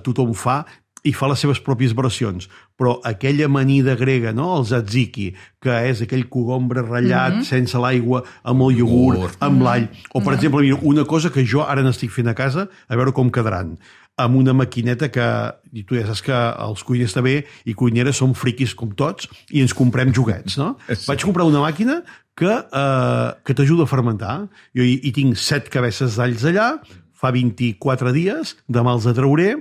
tothom fa i fa les seves pròpies versions, però aquella amanida grega, no? El tzatziki, que és aquell cogombre ratllat sense l'aigua, amb el iogurt, amb l'all, o per exemple, mira, una cosa que jo ara n'estic fent a casa, a veure com quedaran, amb una maquineta que, i tu ja saps que els cuiners també i cuineres som friquis com tots i ens comprem joguets, no? Vaig comprar una màquina que t'ajuda a fermentar. Jo hi tinc 7 cabeces d'alls allà, fa 24 dies, demà els trauré,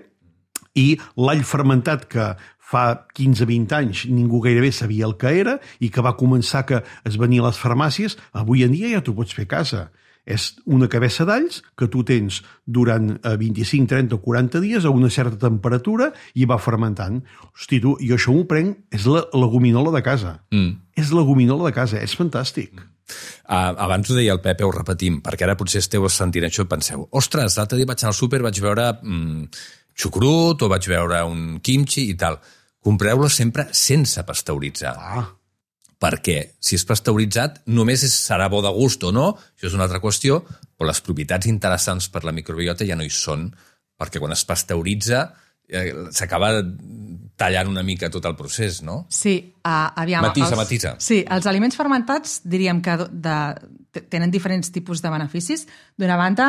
i l'all fermentat que fa 15-20 anys ningú gairebé sabia el que era i que va començar que es venia a les farmàcies, avui en dia ja t'ho pots fer a casa. És una cabeça d'alls que tu tens durant 25, 30 o 40 dies a una certa temperatura i va fermentant. Hosti, tu, jo això m'ho prenc, és la leguminola de casa. És la leguminola de casa, és fantàstic. Abans ho deia el Pepe, ho repetim, perquè ara potser esteu sentint això i penseu, ostres, l'altre dia vaig anar al súper, vaig veure xucrut o vaig veure un kimchi i tal. Compreu-lo sempre sense pasteuritzar. Perquè si és pasteuritzat només serà bo de gust o no, això és una altra qüestió, però les propietats interessants per la microbiota ja no hi són, perquè quan es pasteuritza s'acaba tallant una mica tot el procés, no? Sí, aviam... Matisa. Sí, els aliments fermentats diríem que tenen diferents tipus de beneficis. D'una banda,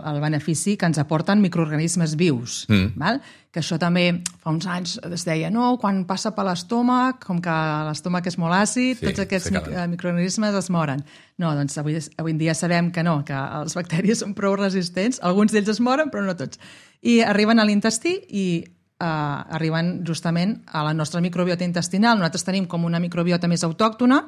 el benefici que ens aporten microorganismes vius, val? Que això també fa uns anys es deia, no, quan passa per l'estómac, com que l'estómac és molt àcid, tots aquests microorganismes es moren. No, doncs avui en dia sabem que no, que els bacteris són prou resistents, alguns d'ells es moren, però no tots. I arriben a l'intestí i arriben justament a la nostra microbiota intestinal. Nosaltres tenim com una microbiota més autòctona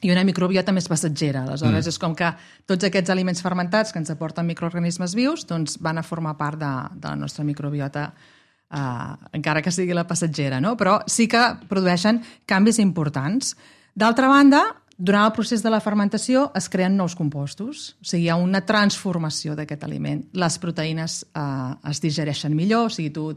i una microbiota més passatgera. Aleshores, és com que tots aquests aliments fermentats que ens aporten microorganismes vius doncs van a formar part de la nostra microbiota, encara que sigui la passatgera, no? Però sí que produeixen canvis importants. D'altra banda, Durant el procés de la fermentació es creen nous compostos, o sigui, hi ha una transformació d'aquest aliment. Les proteïnes es digereixen millor, o sigui, tu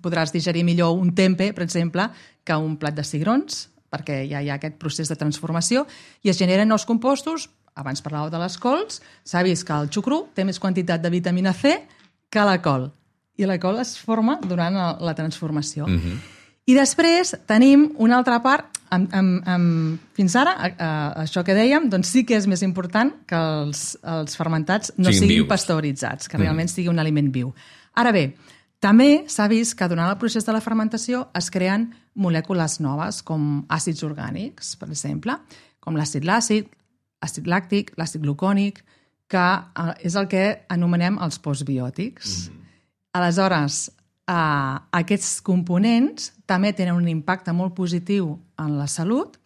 podràs digerir millor un tempe, per exemple, que un plat de cigrons, perquè ja hi ha aquest procés de transformació, i es generen nous compostos. Abans parlàveu de les cols, s'ha vist que el xucrú té més quantitat de vitamina C que la col, i la col es forma durant la transformació. I després tenim una altra part, fins ara, això que dèiem, doncs sí que és més important que els fermentats no siguin pasteuritzats, que realment sigui un aliment viu. Ara bé, també s'ha vist que durant el procés de la fermentació es creen molècules noves, com àcids orgànics, per exemple, com l'àcid làctic, àcid làctic, l'àcid glucònic, que és el que anomenem els postbiòtics. Aleshores, aquests components també tenen un impacte molt positiu en la salut,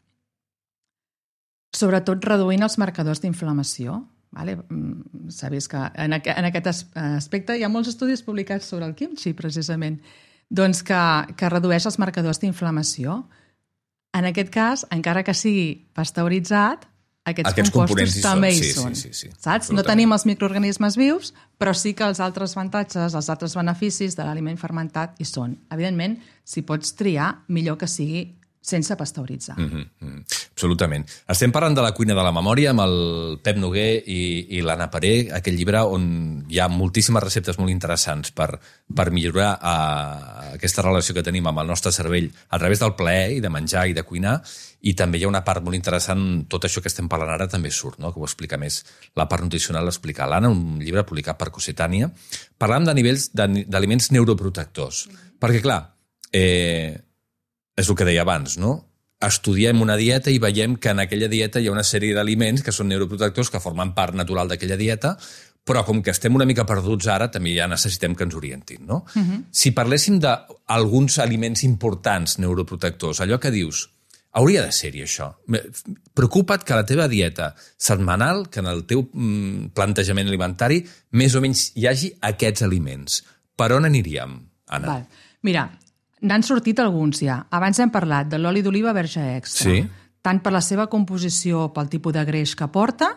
sobretot reduint els marcadors d'inflamació. S'ha vist que en aquest aspecte hi ha molts estudis publicats sobre el kimchi, precisament, doncs que redueix els marcadors d'inflamació. En aquest cas, encara que sigui pasteuritzat, aquests compostos també hi són. Saps? No tenim els microorganismes vius, però sí que els altres avantatges, els altres beneficis de l'aliment fermentat hi són. Evidentment, si pots triar, millor que sigui sense pasteuritzar. Absolutament. Estem parlant de la cuina de la memòria amb el Pep Noguer i l'Anna Paré, aquell llibre on hi ha moltíssimes receptes molt interessants per millorar aquesta relació que tenim amb el nostre cervell a través del plaer i de menjar i de cuinar, i també hi ha una part molt interessant, tot això que estem parlant ara també surt, no? Que ho explica més, la part nutricional l'explica l'Anna, un llibre publicat per Cossetània, parlant de nivells d'aliments neuroprotectors. Perquè, clar, és el que deia abans, no? Estudiem una dieta i veiem que en aquella dieta hi ha una sèrie d'aliments que són neuroprotectors, que formen part natural d'aquella dieta, però com que estem una mica perduts ara, també ja necessitem que ens orientin, no? Si parléssim d'alguns aliments importants neuroprotectors, allò que dius, hauria de ser-hi això. Preocupa't que a la teva dieta setmanal, que en el teu plantejament alimentari, més o menys hi hagi aquests aliments. Per on aniríem, Anna? Mira, n'han sortit alguns ja. Abans hem parlat de l'oli d'oliva verge extra, tant per la seva composició, pel tipus de greix que porta,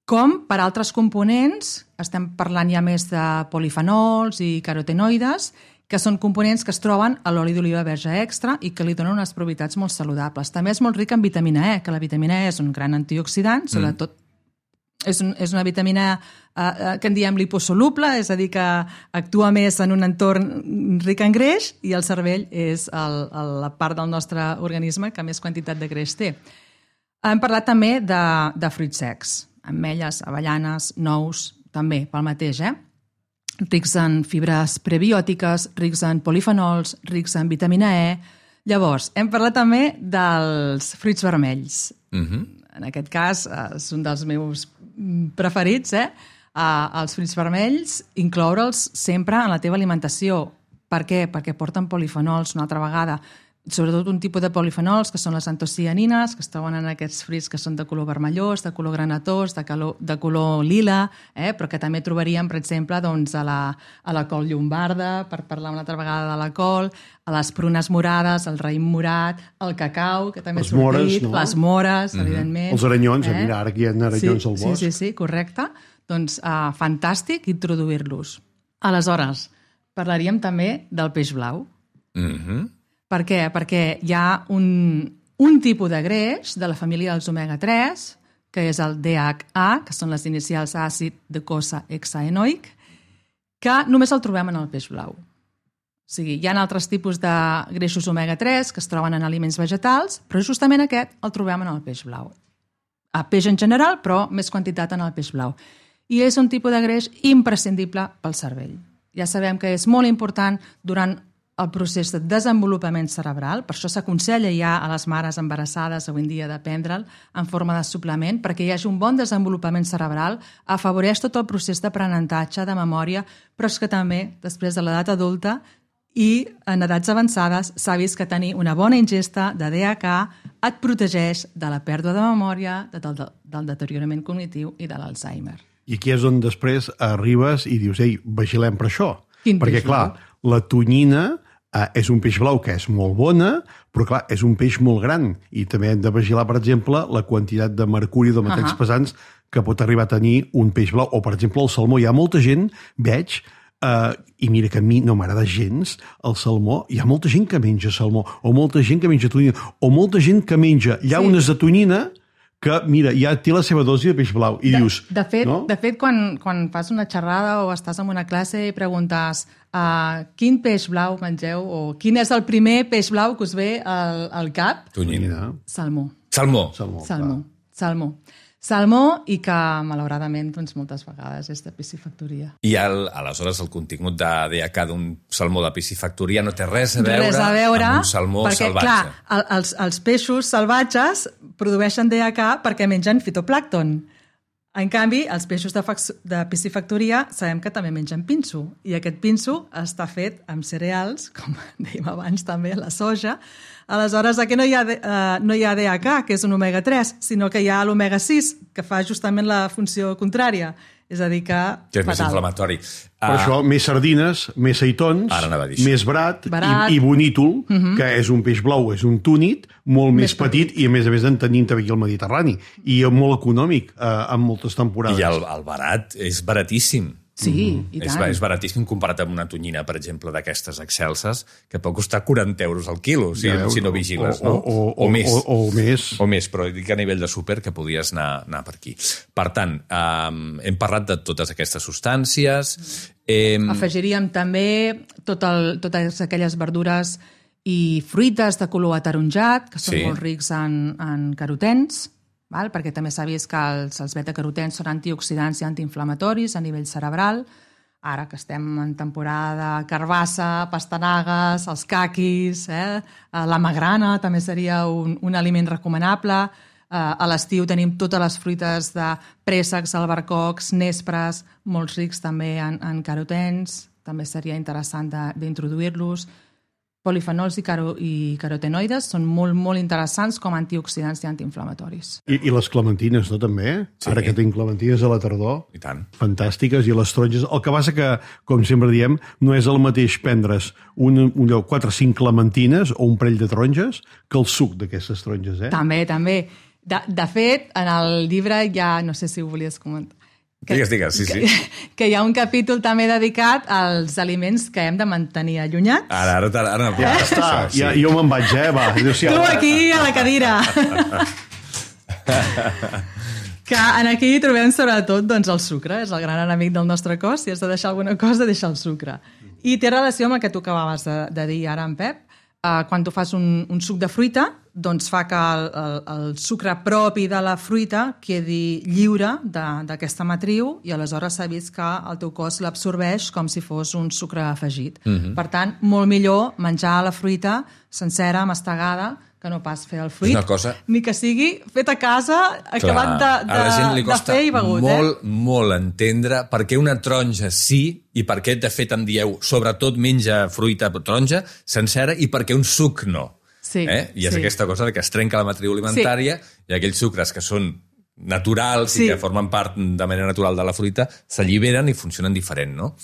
com per altres components. Estem parlant ja més de polifenols i carotenoides, que són components que es troben a l'oli d'oliva verge extra i que li donen unes propietats molt saludables. També és molt ric en vitamina E, que la vitamina E és un gran antioxidant, sobretot és una vitamina que en diem liposoluble, és a dir, que actua més en un entorn ric en greix, i el cervell és la part del nostre organisme que més quantitat de greix té. Hem parlat també de fruits secs, ametlles, avellanes, nous, també pel mateix, rics en fibres prebiòtiques, rics en polifenols, rics en vitamina E. Llavors, hem parlat també dels fruits vermells. En aquest cas, és un dels meus preferits, els fruits vermells, incloure'ls sempre en la teva alimentació. Per què? Perquè porten polifenols, una altra vegada, sobretot un tipus de polifenols, que són les antocianines, que es troben en aquests fruits que són de color vermellós, de color granatós, de color lila, però que també trobaríem, per exemple, a la col llombarda, per parlar una altra vegada de la col, a les prunes morades, el raïm morat, el cacau, que també ha sortit, les mores, evidentment. Els aranyons, mira, ara que hi ha aranyons al bosc. Sí, correcte. Doncs fantàstic introduir-los. Aleshores, parlaríem també del peix blau. Per què? Perquè hi ha un tipus de greix de la família dels omega-3, que és el DHA, que són les inicials àcid docosahexaenoic, que només el trobem en el peix blau. O sigui, hi ha altres tipus de greixos omega-3 que es troben en aliments vegetals, però justament aquest el trobem en el peix blau. A peix en general, però més quantitat en el peix blau. I és un tipus de greix imprescindible pel cervell. Ja sabem que és molt important durant el procés de desenvolupament cerebral, per això s'aconsella ja a les mares embarassades avui en dia de prendre'l en forma de suplement, perquè hi hagi un bon desenvolupament cerebral, afavoreix tot el procés d'aprenentatge, de memòria, però és que també, després de l'edat adulta i en edats avançades, s'ha vist que tenir una bona ingesta de DHA et protegeix de la pèrdua de memòria, del deteriorament cognitiu i de l'Alzheimer. I aquí és on després arribes i dius, ei, vigilem per això. Perquè, clar, la tonyina és un peix blau que és molt bona, però clar, és un peix molt gran i també hem de vigilar, per exemple, la quantitat de mercuri de metalls pesants que pot arribar a tenir un peix blau. O, per exemple, el salmó. Hi ha molta gent, veig, i mira que a mi no m'agrada gens el salmó, hi ha molta gent que menja salmó, o molta gent que menja tonyina, o molta gent que menja llaunes de tonyina que, mira, ja té la seva dosi de peix blau. I dius... De fet, no? quan fas una xerrada o estàs en una classe i preguntes quin peix blau mengeu o quin és el primer peix blau que us ve al cap? Tonyina. Salmó. Salmó. Salmó i que, malauradament, doncs, moltes vegades és de piscifactoria. I aleshores el contingut de DHA d'un salmó de piscifactoria no té res a veure amb un salmó perquè, salvatge. Clar, els peixos salvatges produeixen DHA perquè mengen fitoplàncton. En canvi, els peixos de piscifactoria sabem que també mengen pinso, i aquest pinso està fet amb cereals, com dèiem abans també, la soja. Aleshores, aquí no hi ha DHA, que és un omega-3, sinó que hi ha l'omega-6, que fa justament la funció contrària. És a dir, que és més inflamatori. Per això, més sardines, més seitons, més brat. I bonítol, que és un peix blau, és un túnid, molt més petit i, a més en tenim també aquí al Mediterrani. I molt econòmic en moltes temporades. I el barat és baratíssim. Sí, i tant. És baratíssim comparat amb una tonyina, per exemple, d'aquestes excelses, que pot costar 40 euros al quilo, si no vigiles, no? O més. O més, però dic a nivell de súper que podies anar per aquí. Per tant, hem parlat de totes aquestes substàncies. Afegiríem també totes aquelles verdures i fruites de color ataronjat, que són molt rics en carotens, perquè també s'ha vist que els beta-carotens són antioxidants i antiinflamatoris a nivell cerebral. Ara que estem en temporada de carbassa, pastanagues, els caquis, la magrana també seria un aliment recomanable. A l'estiu tenim totes les fruites de préssecs, albercocs, nespres, molt rics també en carotens. També seria interessant d'introduir-los. Polifenols i carotenoides són molt, molt interessants com a antioxidants i antiinflamatoris. I les clementines, no, també? Sí. Ara que tinc clementines a la tardor. I tant. Fantàstiques. I les taronges. El que passa que, com sempre diem, no és el mateix prendre's 4 o 5 clementines o un parell de taronges que el suc d'aquestes taronges, També. De fet, en el llibre ja, no sé si ho volies comentar, Digues, sí. Que hi ha un capítol també dedicat als aliments que hem de mantenir allunyats. Ara ja està, jo me'n vaig, va. Tu aquí a la cadira. Que aquí trobem sobretot el sucre, és el gran enemic del nostre cos. Si has de deixar alguna cosa, deixa el sucre. I té relació amb el que tu acabaves de dir ara, en Pep. Quan tu fas un suc de fruita, doncs fa que el sucre propi de la fruita quedi lliure d'aquesta matriu i aleshores s'ha vist que el teu cos l'absorbeix com si fos un sucre afegit. Per tant, molt millor menjar la fruita sencera, mastegada, que no pas fer el fruit, ni que sigui fet a casa, acabat de fer i begut. Molt entendre per què una taronja sí i per què, de fet, en dieu sobretot menja fruita taronja sencera i per què un suc no. Sí, I és aquesta cosa que es trenca la matriu alimentària i aquells sucres que són naturals i que formen part de manera natural de la fruita s'alliberen i funcionen diferent, no?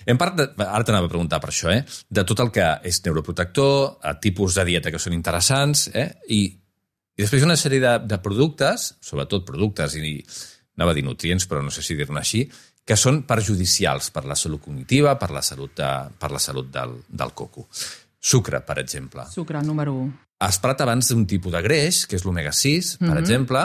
Ara t'anava a preguntar per això, de tot el que és neuroprotector, tipus de dieta que són interessants, i després una sèrie de productes, sobretot productes, i anava a dir nutrients, però no sé si dir-ne així, que són perjudicials per la salut cognitiva, per la salut del coco. Sucre, per exemple. Sucre, número 1. Has parlat abans d'un tipus de greix, que és l'omega-6, per exemple,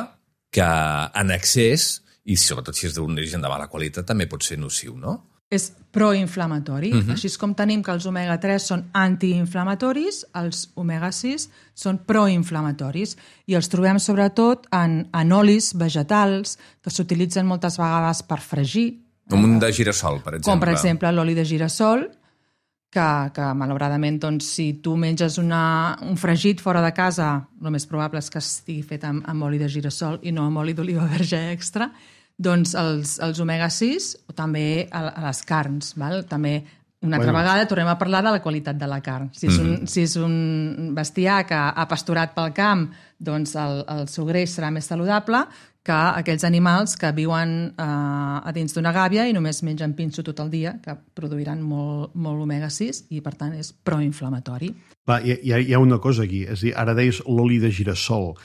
que en excés, i sobretot si és d'un origen de mala qualitat, també pot ser nociu, no? És proinflamatori. Així com tenim que els omega-3 són antiinflamatoris, els omega-6 són proinflamatoris. I els trobem sobretot en olis vegetals que s'utilitzen moltes vegades per fregir. Com un de girassol, per exemple. Com, per exemple, l'oli de girassol, que malauradament, doncs, si tu menges un fregit fora de casa, el més probable és que estigui fet amb oli de girassol i no amb oli d'oliva verge extra, doncs els omega-6 o també a les carns. També una altra vegada tornem a parlar de la qualitat de la carn. Si és un bestiar que ha pasturat pel camp, doncs el seu greix serà més saludable que aquells animals que viuen a dins d'una gàbia i només mengen pinso tot el dia, que produiran molt omega-6 i, per tant, és proinflamatori. Va, hi ha una cosa aquí, és a dir, ara deies l'oli de girassol,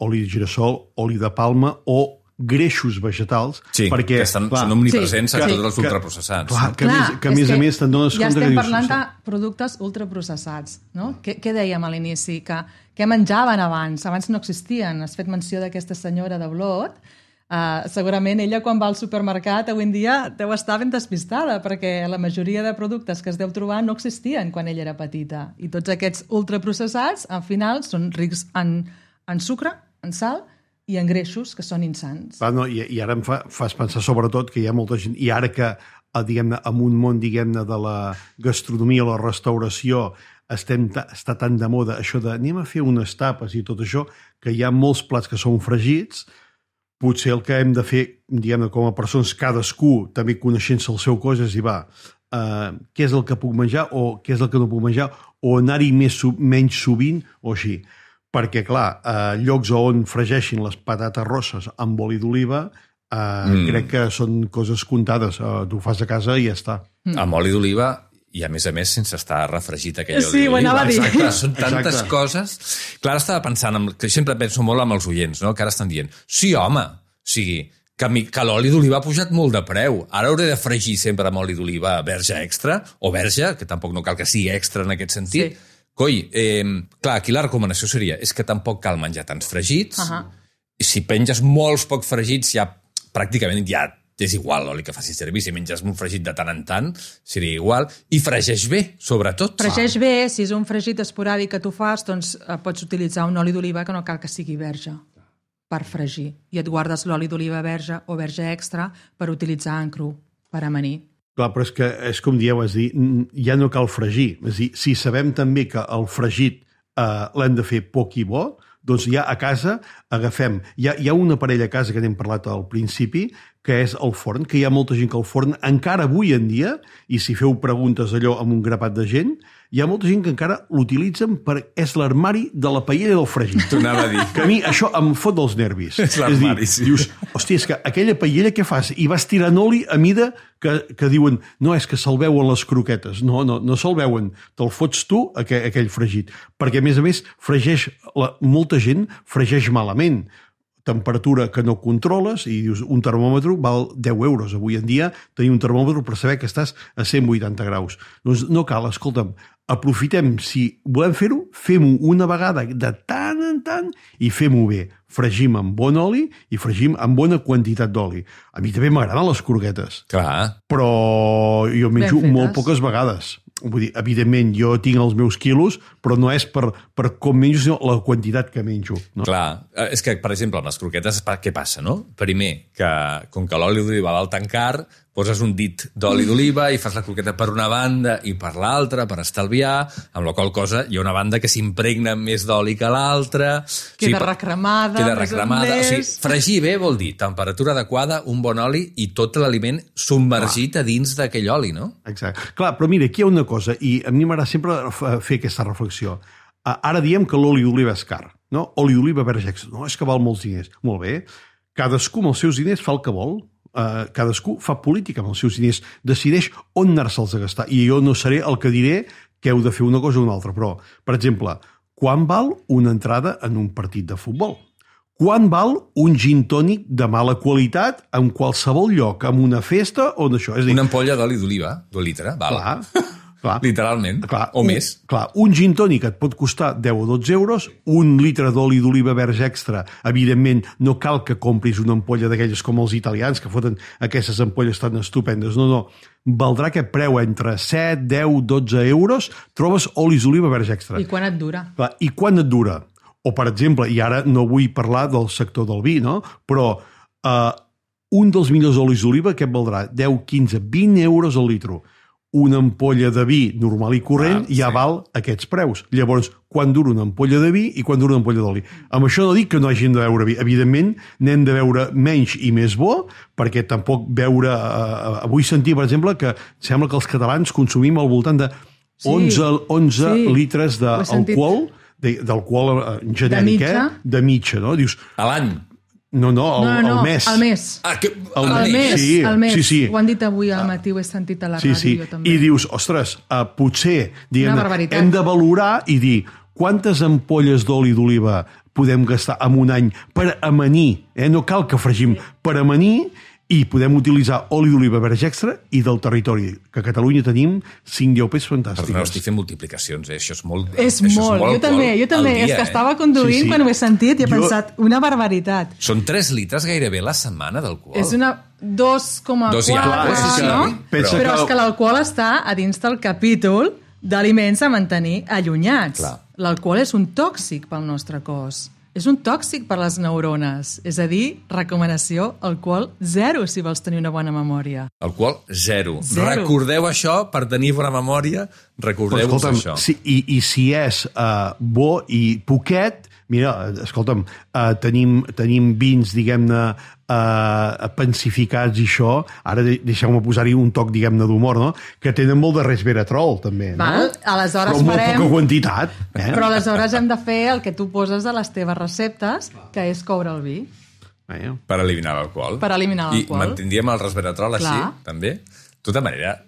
oli de girassol, oli de palma o greixos vegetals, perquè són omnipresents a tots els ultraprocessats. Que a més a més te'n dones compte que ja estem parlant de productes ultraprocessats, no? Què dèiem a l'inici? Què menjaven abans? Abans no existien. Has fet menció d'aquesta senyora de Blot. Segurament ella, quan va al supermercat, avui en dia deu estar ben despistada, perquè la majoria de productes que es deu trobar no existien quan ella era petita. I tots aquests ultraprocessats, al final, són rics en sucre, en sal i en greixos, que són insans. I ara em fas pensar sobretot que hi ha molta gent, i ara que diguem-ne, en un món diguem-ne de la gastronomia, la restauració, està tan de moda això de anem a fer unes tapes i tot això, que hi ha molts plats que són fregits, potser el que hem de fer, diguem-ne, com a persones, cadascú, també coneixent-se el seu cos, és dir, què és el que puc menjar o què és el que no puc menjar, o anar-hi menys sovint, o així. Perquè, clar, llocs on fregeixin les patates rosses amb oli d'oliva, crec que són coses comptades. Tu ho fas a casa i ja està. Amb oli d'oliva i, a més, sense estar refregit aquell oli d'oliva. Sí, ho anava a dir. Exacte, són tantes coses. Clar, estava pensant, que sempre penso molt amb els oients, no? Que ara estan dient, sí, home, o sigui, que l'oli d'oliva ha pujat molt de preu. Ara hauré de fregir sempre amb oli d'oliva verge extra, o verge, que tampoc no cal que sigui extra en aquest sentit. Sí. Coi, clar, aquí la recomanació seria és que tampoc cal menjar tants fregits. I si penges molts poc fregits, pràcticament ja és igual l'oli que facis servir. Si menges un fregit de tant en tant, seria igual. I fregeix bé, sobretot. Fregeix bé, si és un fregit esporàdic que tu fas, doncs pots utilitzar un oli d'oliva que no cal que sigui verge per fregir. I et guardes l'oli d'oliva verge o verge extra per utilitzar en cru, per amanir. Clar, però és que és com dieu, és dir, ja no cal fregir. És dir, si sabem també que el fregit l'hem de fer poc i bo, doncs ja a casa agafem... Hi ha un aparell a casa que n'hem parlat al principi, que és el forn, que hi ha molta gent que el forn, encara avui en dia, i si feu preguntes allò amb un grapat de gent, hi ha molta gent que encara l'utilitzen és l'armari de la paella del fregit. T'ho anava a dir. Que a mi això em fot dels nervis. És l'armari, sí. Dius, hòstia, és que aquella paella què fas? I vas tirant oli a mida que diuen, no, és que se'l veuen les croquetes. No se'l veuen. Te'l fots tu, aquell fregit. Perquè, a més, molta gent fregeix malament. Temperatura que no controles i dius, un termòmetre val 10 euros. Avui en dia tenir un termòmetre per saber que estàs a 180 graus. Doncs no cal, escolta'm, aprofitem, si volem fer-ho, fem-ho una vegada de tant en tant i fem-ho bé. Fregim amb bon oli i fregim amb bona quantitat d'oli. A mi també m'agraden les croquetes. Clar. Però jo menjo molt poques vegades. Vull dir, evidentment, jo tinc els meus quilos, però no és per com menjo, sinó la quantitat que menjo. No? Clar, és que, per exemple, amb les croquetes, què passa, no? Primer, que com que l'oli d'oliva val tan car, poses un dit d'oli d'oliva i fas la croqueta per una banda i per l'altra, per estalviar, amb la qual cosa hi ha una banda que s'impregna més d'oli que l'altra. Queda recremada. O sigui, fregir bé vol dir temperatura adequada, un bon oli i tot l'aliment submergit a dins d'aquell oli, no? Exacte. Clar, però mira, aquí hi ha una cosa, i a mi m'agrada sempre fer aquesta reflexió. Ara diem que l'oli d'oliva és car, no? Oli d'oliva verge extra. No, és que val molts diners. Molt bé. Cadascú amb els seus diners fa el que vol. Cadascú fa política amb els seus diners, decideix on anar-se'ls a gastar, i jo no seré el que diré que heu de fer una cosa o una altra, però, per exemple, quan val una entrada en un partit de futbol? Quan val un gin tònic de mala qualitat en qualsevol lloc, en una festa o d'això? Una ampolla d'oli d'oliva, d'un litre, val. Clar, literalment, o més. Clar, un gin tònic et pot costar 10 o 12 euros, un litre d'oli d'oliva verge extra, evidentment no cal que compris una ampolla d'aquelles com els italians, que foten aquestes ampolles tan estupendes, no, valdrà aquest preu entre 7, 10, 12 euros, trobes olis d'oliva verge extra. I quan et dura? Clar, i quan et dura? O, per exemple, i ara no vull parlar del sector del vi, no? Però un dels millors olis d'oliva, què et valdrà? 10, 15, 20 euros al litro. Una ampolla de vi normal i corrent ja val aquests preus. Llavors, quan dura una ampolla de vi i quan dura una ampolla d'oli? Amb això no dic que no hagin de beure vi. Evidentment, n'hem de beure menys i més bo, perquè tampoc beure... Avui sentir, per exemple, que sembla que els catalans consumim al voltant de 11 litres d'alcohol, d'alcohol genèric, de mitja, no? Dius, a l'any. No, el mes. El mes. El mes. Sí. Ho han dit avui al matí, ho he sentit a la ràdio, jo també. I dius, ostres, potser barbaritat. hem de valorar i dir quantes ampolles d'oli d'oliva podem gastar en un any per amanir, no cal que fregim, per amanir, i podem utilitzar oli d'oliva verge extra i del territori, que a Catalunya tenim 5 DOPs fantàstiques. Perdona, estic fent multiplicacions, això és molt... És molt, jo també. És que estava conduint quan ho he sentit i he pensat, una barbaritat. Són 3 litres gairebé la setmana d'alcohol. És una 2,4, no? Però és que l'alcohol està a dins del capítol d'aliments a mantenir allunyats. L'alcohol és un tòxic pel nostre cos. És un tòxic per les neurones. És a dir, recomanació, alcohol 0, si vols tenir una bona memòria. Alcohol 0. Recordeu això, per tenir bona memòria, recordeu-vos això. I si és bo i poquet, mira, escolta'm, tenim vins, diguem-ne, pensificats i això, ara deixeu-me posar-hi un toc, diguem-ne, d'humor, no? Que tenen molt de resveratrol, també, no? Aleshores però molt poca quantitat. Però aleshores hem de fer el que tu poses a les teves receptes, que és coure el vi. Per eliminar l'alcohol. I mantindríem el resveratrol així, també. De tota manera,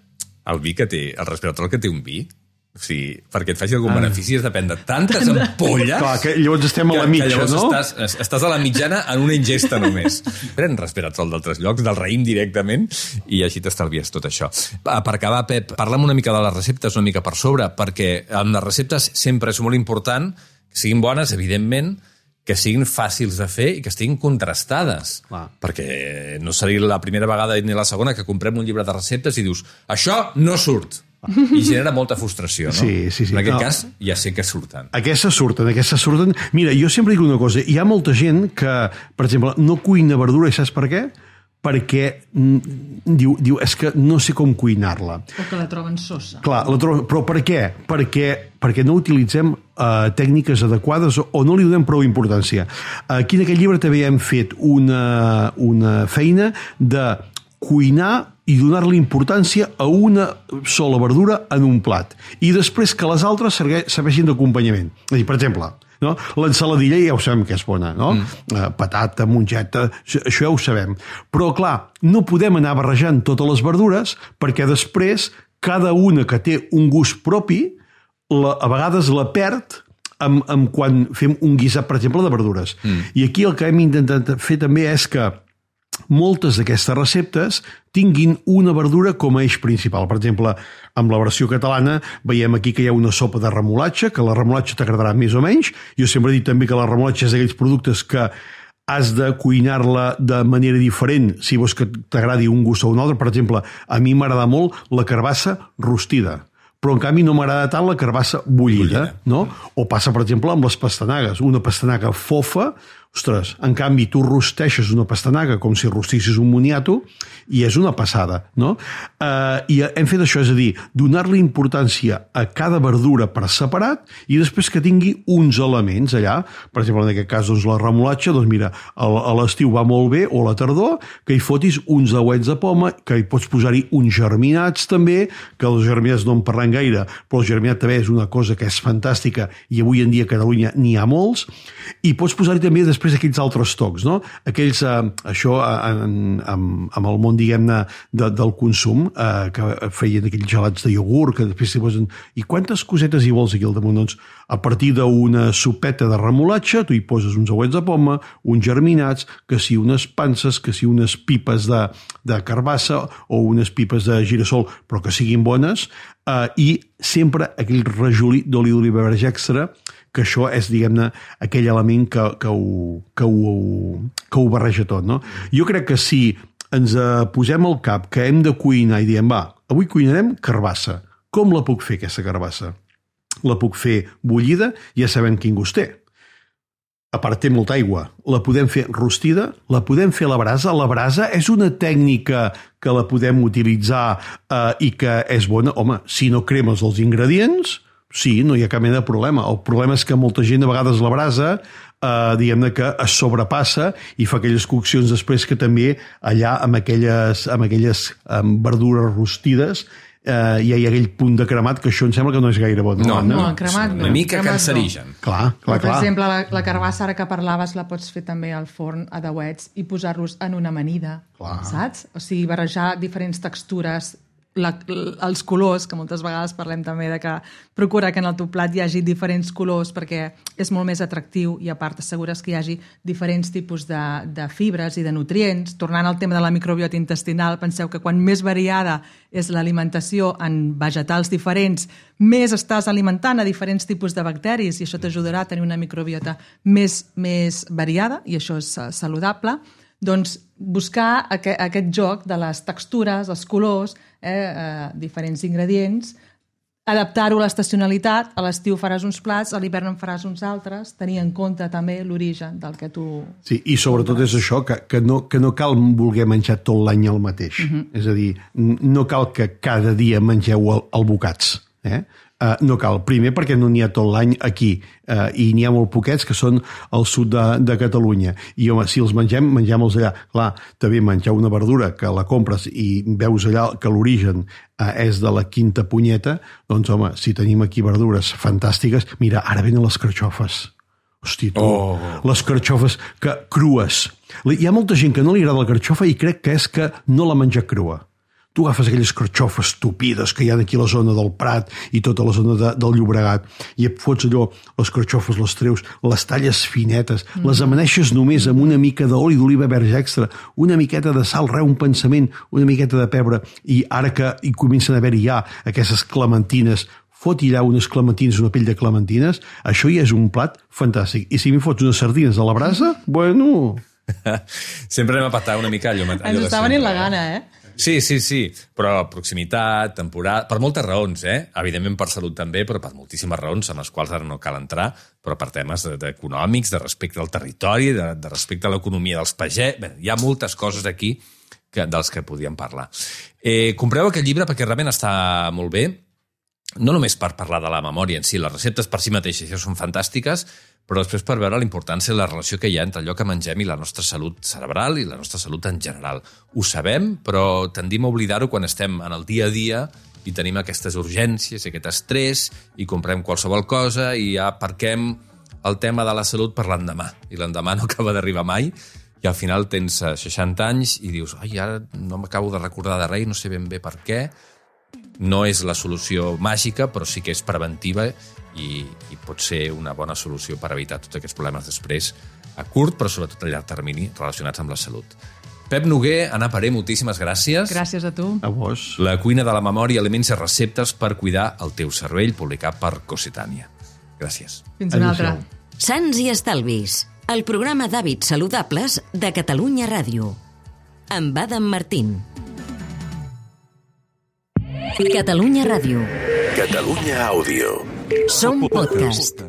el resveratrol que té un vi, o sigui, perquè et faci algun benefici has de prendre tantes ampolles... Clar, que llavors estem a la mitja, no? Estàs a la mitjana en una ingesta només. Pren resveratrol d'altres llocs, del raïm directament, i així t'estalvies tot això. Per acabar, Pep, parla'm una mica de les receptes, una mica per sobre, perquè en les receptes sempre és molt important que siguin bones, evidentment, que siguin fàcils de fer i que estiguin contrastades. Perquè no seria la primera vegada ni la segona que comprem un llibre de receptes i dius, això no surt. I genera molta frustració, no? Sí. En aquest cas, ja sé que surten. Aquestes surten. Mira, jo sempre dic una cosa. Hi ha molta gent que, per exemple, no cuina verdura, i saps per què? Perquè diu, és que no sé com cuinar-la. O que la troben sosa. Clar, però per què? Perquè no utilitzem tècniques adequades o no li donem prou importància. Aquí en aquest llibre també hem fet una feina de cuinar i donar-li importància a una sola verdura en un plat. I després que les altres serveixin d'acompanyament. És a dir, per exemple, no? L'ensaladilla ja ho sabem que és bona, no? Patata, mongeta, això ja ho sabem. Però, clar, no podem anar barrejant totes les verdures perquè després cada una que té un gust propi a vegades la perd quan fem un guisat, per exemple, de verdures. I aquí el que hem intentat fer també és que moltes d'aquestes receptes tinguin una verdura com a eix principal. Per exemple, amb la versió catalana veiem aquí que hi ha una sopa de remolatxa, que la remolatxa t'agradarà més o menys. Jo sempre he dit també que la remolatxa és d'aquells productes que has de cuinar-la de manera diferent si vols que t'agradi un gust o un altre. Per exemple, a mi m'agrada molt la carbassa rostida, però en canvi no m'agrada tant la carbassa bullida, no? O passa, per exemple, amb les pastanagues. Una pastanaga fofa, ostres, en canvi tu rosteixes una pastanaga com si rostissis un moniato i és una passada, no? I hem fet això, és a dir, donar-li importància a cada verdura per separat i després que tingui uns elements allà. Per exemple, en aquest cas, doncs, la remolatxa, doncs mira, a l'estiu va molt bé, o a la tardor, que hi fotis uns dauets de poma, que hi pots posar-hi uns germinats també, que els germinats no en parlem gaire, però el germinat també és una cosa que és fantàstica i avui en dia a Catalunya n'hi ha molts, i pots posar-hi també després aquells altres tocs, no? Aquells, això amb el món, diguem-ne, del consum, que feien aquells gelats de iogurt, que després s'hi posen... I quantes cosetes hi vols aquí al damunt? Doncs a partir d'una sopeta de remolatxa, tu hi poses uns auets de poma, uns germinats, que si unes panses, que si unes pipes de carbassa o unes pipes de girassol, però que siguin bones, i sempre aquell rajolí d'oli d'oliva verge extra, que això és, diguem-ne, aquell element que ho barreja tot, no? Jo crec que si ens posem al cap que hem de cuinar i diem, va, avui cuinarem carbassa. Com la puc fer, aquesta carbassa? La puc fer bullida, ja sabem quin gust té. A part, té molta aigua. La podem fer rostida, la podem fer a la brasa. La brasa és una tècnica que la podem utilitzar i que és bona. Home, si no cremes els ingredients, sí, no hi ha cap mena de problema. El problema és que molta gent, a vegades, la brasa, diguem-ne que es sobrepassa i fa aquelles coccions després que també allà amb aquelles verdures rostides ja hi ha aquell punt de cremat, que això em sembla que no és gaire bo. No, cremat no. Una mica Cremat cancerigen. Clar. Per exemple, la carbassa ara que parlaves la pots fer també al forn a dauets i posar-los en una amanida, saps? O sigui, barrejar diferents textures, els colors, que moltes vegades parlem també de que procura que en el teu plat hi hagi diferents colors perquè és molt més atractiu i a part t'assegures que hi hagi diferents tipus de fibres i de nutrients. Tornant al tema de la microbiota intestinal, penseu que quan més variada és l'alimentació en vegetals diferents, més estàs alimentant a diferents tipus de bacteris i això t'ajudarà a tenir una microbiota més variada i això és saludable. Doncs buscar aquest joc de les textures, els colors, diferents ingredients, adaptar-ho a l'estacionalitat, a l'estiu faràs uns plats, a l'hivern en faràs uns altres, tenir en compte també l'origen del que tu... Sí, i sobretot és això, que no cal voler menjar tot l'any el mateix. És a dir, no cal que cada dia mengeu el bocats. No cal. Primer perquè no n'hi ha tot l'any aquí i n'hi ha molt poquets que són al sud de Catalunya. I home, si els mengem-los allà. Clar, també menjar una verdura que la compres i veus allà que l'origen és de la quinta punyeta, doncs home, si tenim aquí verdures fantàstiques... Mira, ara venen les carxofes. Hosti, tu, les carxofes crues. Hi ha molta gent que no li agrada la carxofa i crec que és que no la menja crua. Tu agafes aquelles carxofes tupides que hi ha aquí a la zona del Prat i tota la zona del Llobregat i et fots allò, les carxofes, les treus, les talles finetes, les amaneixes només amb una mica d'oli d'oliva verge extra, una miqueta de sal, un pensament, una miqueta de pebre, i ara que hi comencen a haver-hi ja aquestes clementines, fot-hi allà unes clementines, una pell de clementines, això ja és un plat fantàstic. I si m'hi fots unes sardines a la brasa, bueno... Sempre anem a patar una mica allò ens està venint la gana, Sí, però proximitat, temporada, per moltes raons, evidentment per salut també, però per moltíssimes raons, en les quals ara no cal entrar, però per temes econòmics, de respecte al territori, de respecte a l'economia dels pagès. Bé, hi ha moltes coses aquí dels que podíem parlar. Compreu aquest llibre perquè realment està molt bé, no només per parlar de la memòria en si, les receptes per si mateixes ja són fantàstiques, però després per veure la importància i la relació que hi ha entre allò que mengem i la nostra salut cerebral i la nostra salut en general. Ho sabem, però tendim a oblidar-ho quan estem en el dia a dia i tenim aquestes urgències, aquest estrès, i comprem qualsevol cosa i ja aparquem el tema de la salut per l'endemà. I l'endemà no acaba d'arribar mai i al final tens 60 anys i dius ara no m'acabo de recordar de res, no sé ben bé per què. No és la solució màgica, però sí que és preventiva i pot ser una bona solució per evitar tots aquests problemes després a curt, però sobretot a llarg termini relacionats amb la salut. Pep Noguer, Anna Paré, moltíssimes gràcies. Gràcies a tu. A vos. La cuina de la memòria, aliments i receptes per cuidar el teu cervell, publicat per Cossetània. Gràcies. Fins una altra. Sants i estalvis, el programa d'hàbits saludables de Catalunya Ràdio. Amb Adam Martín. Catalunya Ràdio. Catalunya Àudio. Som podcast.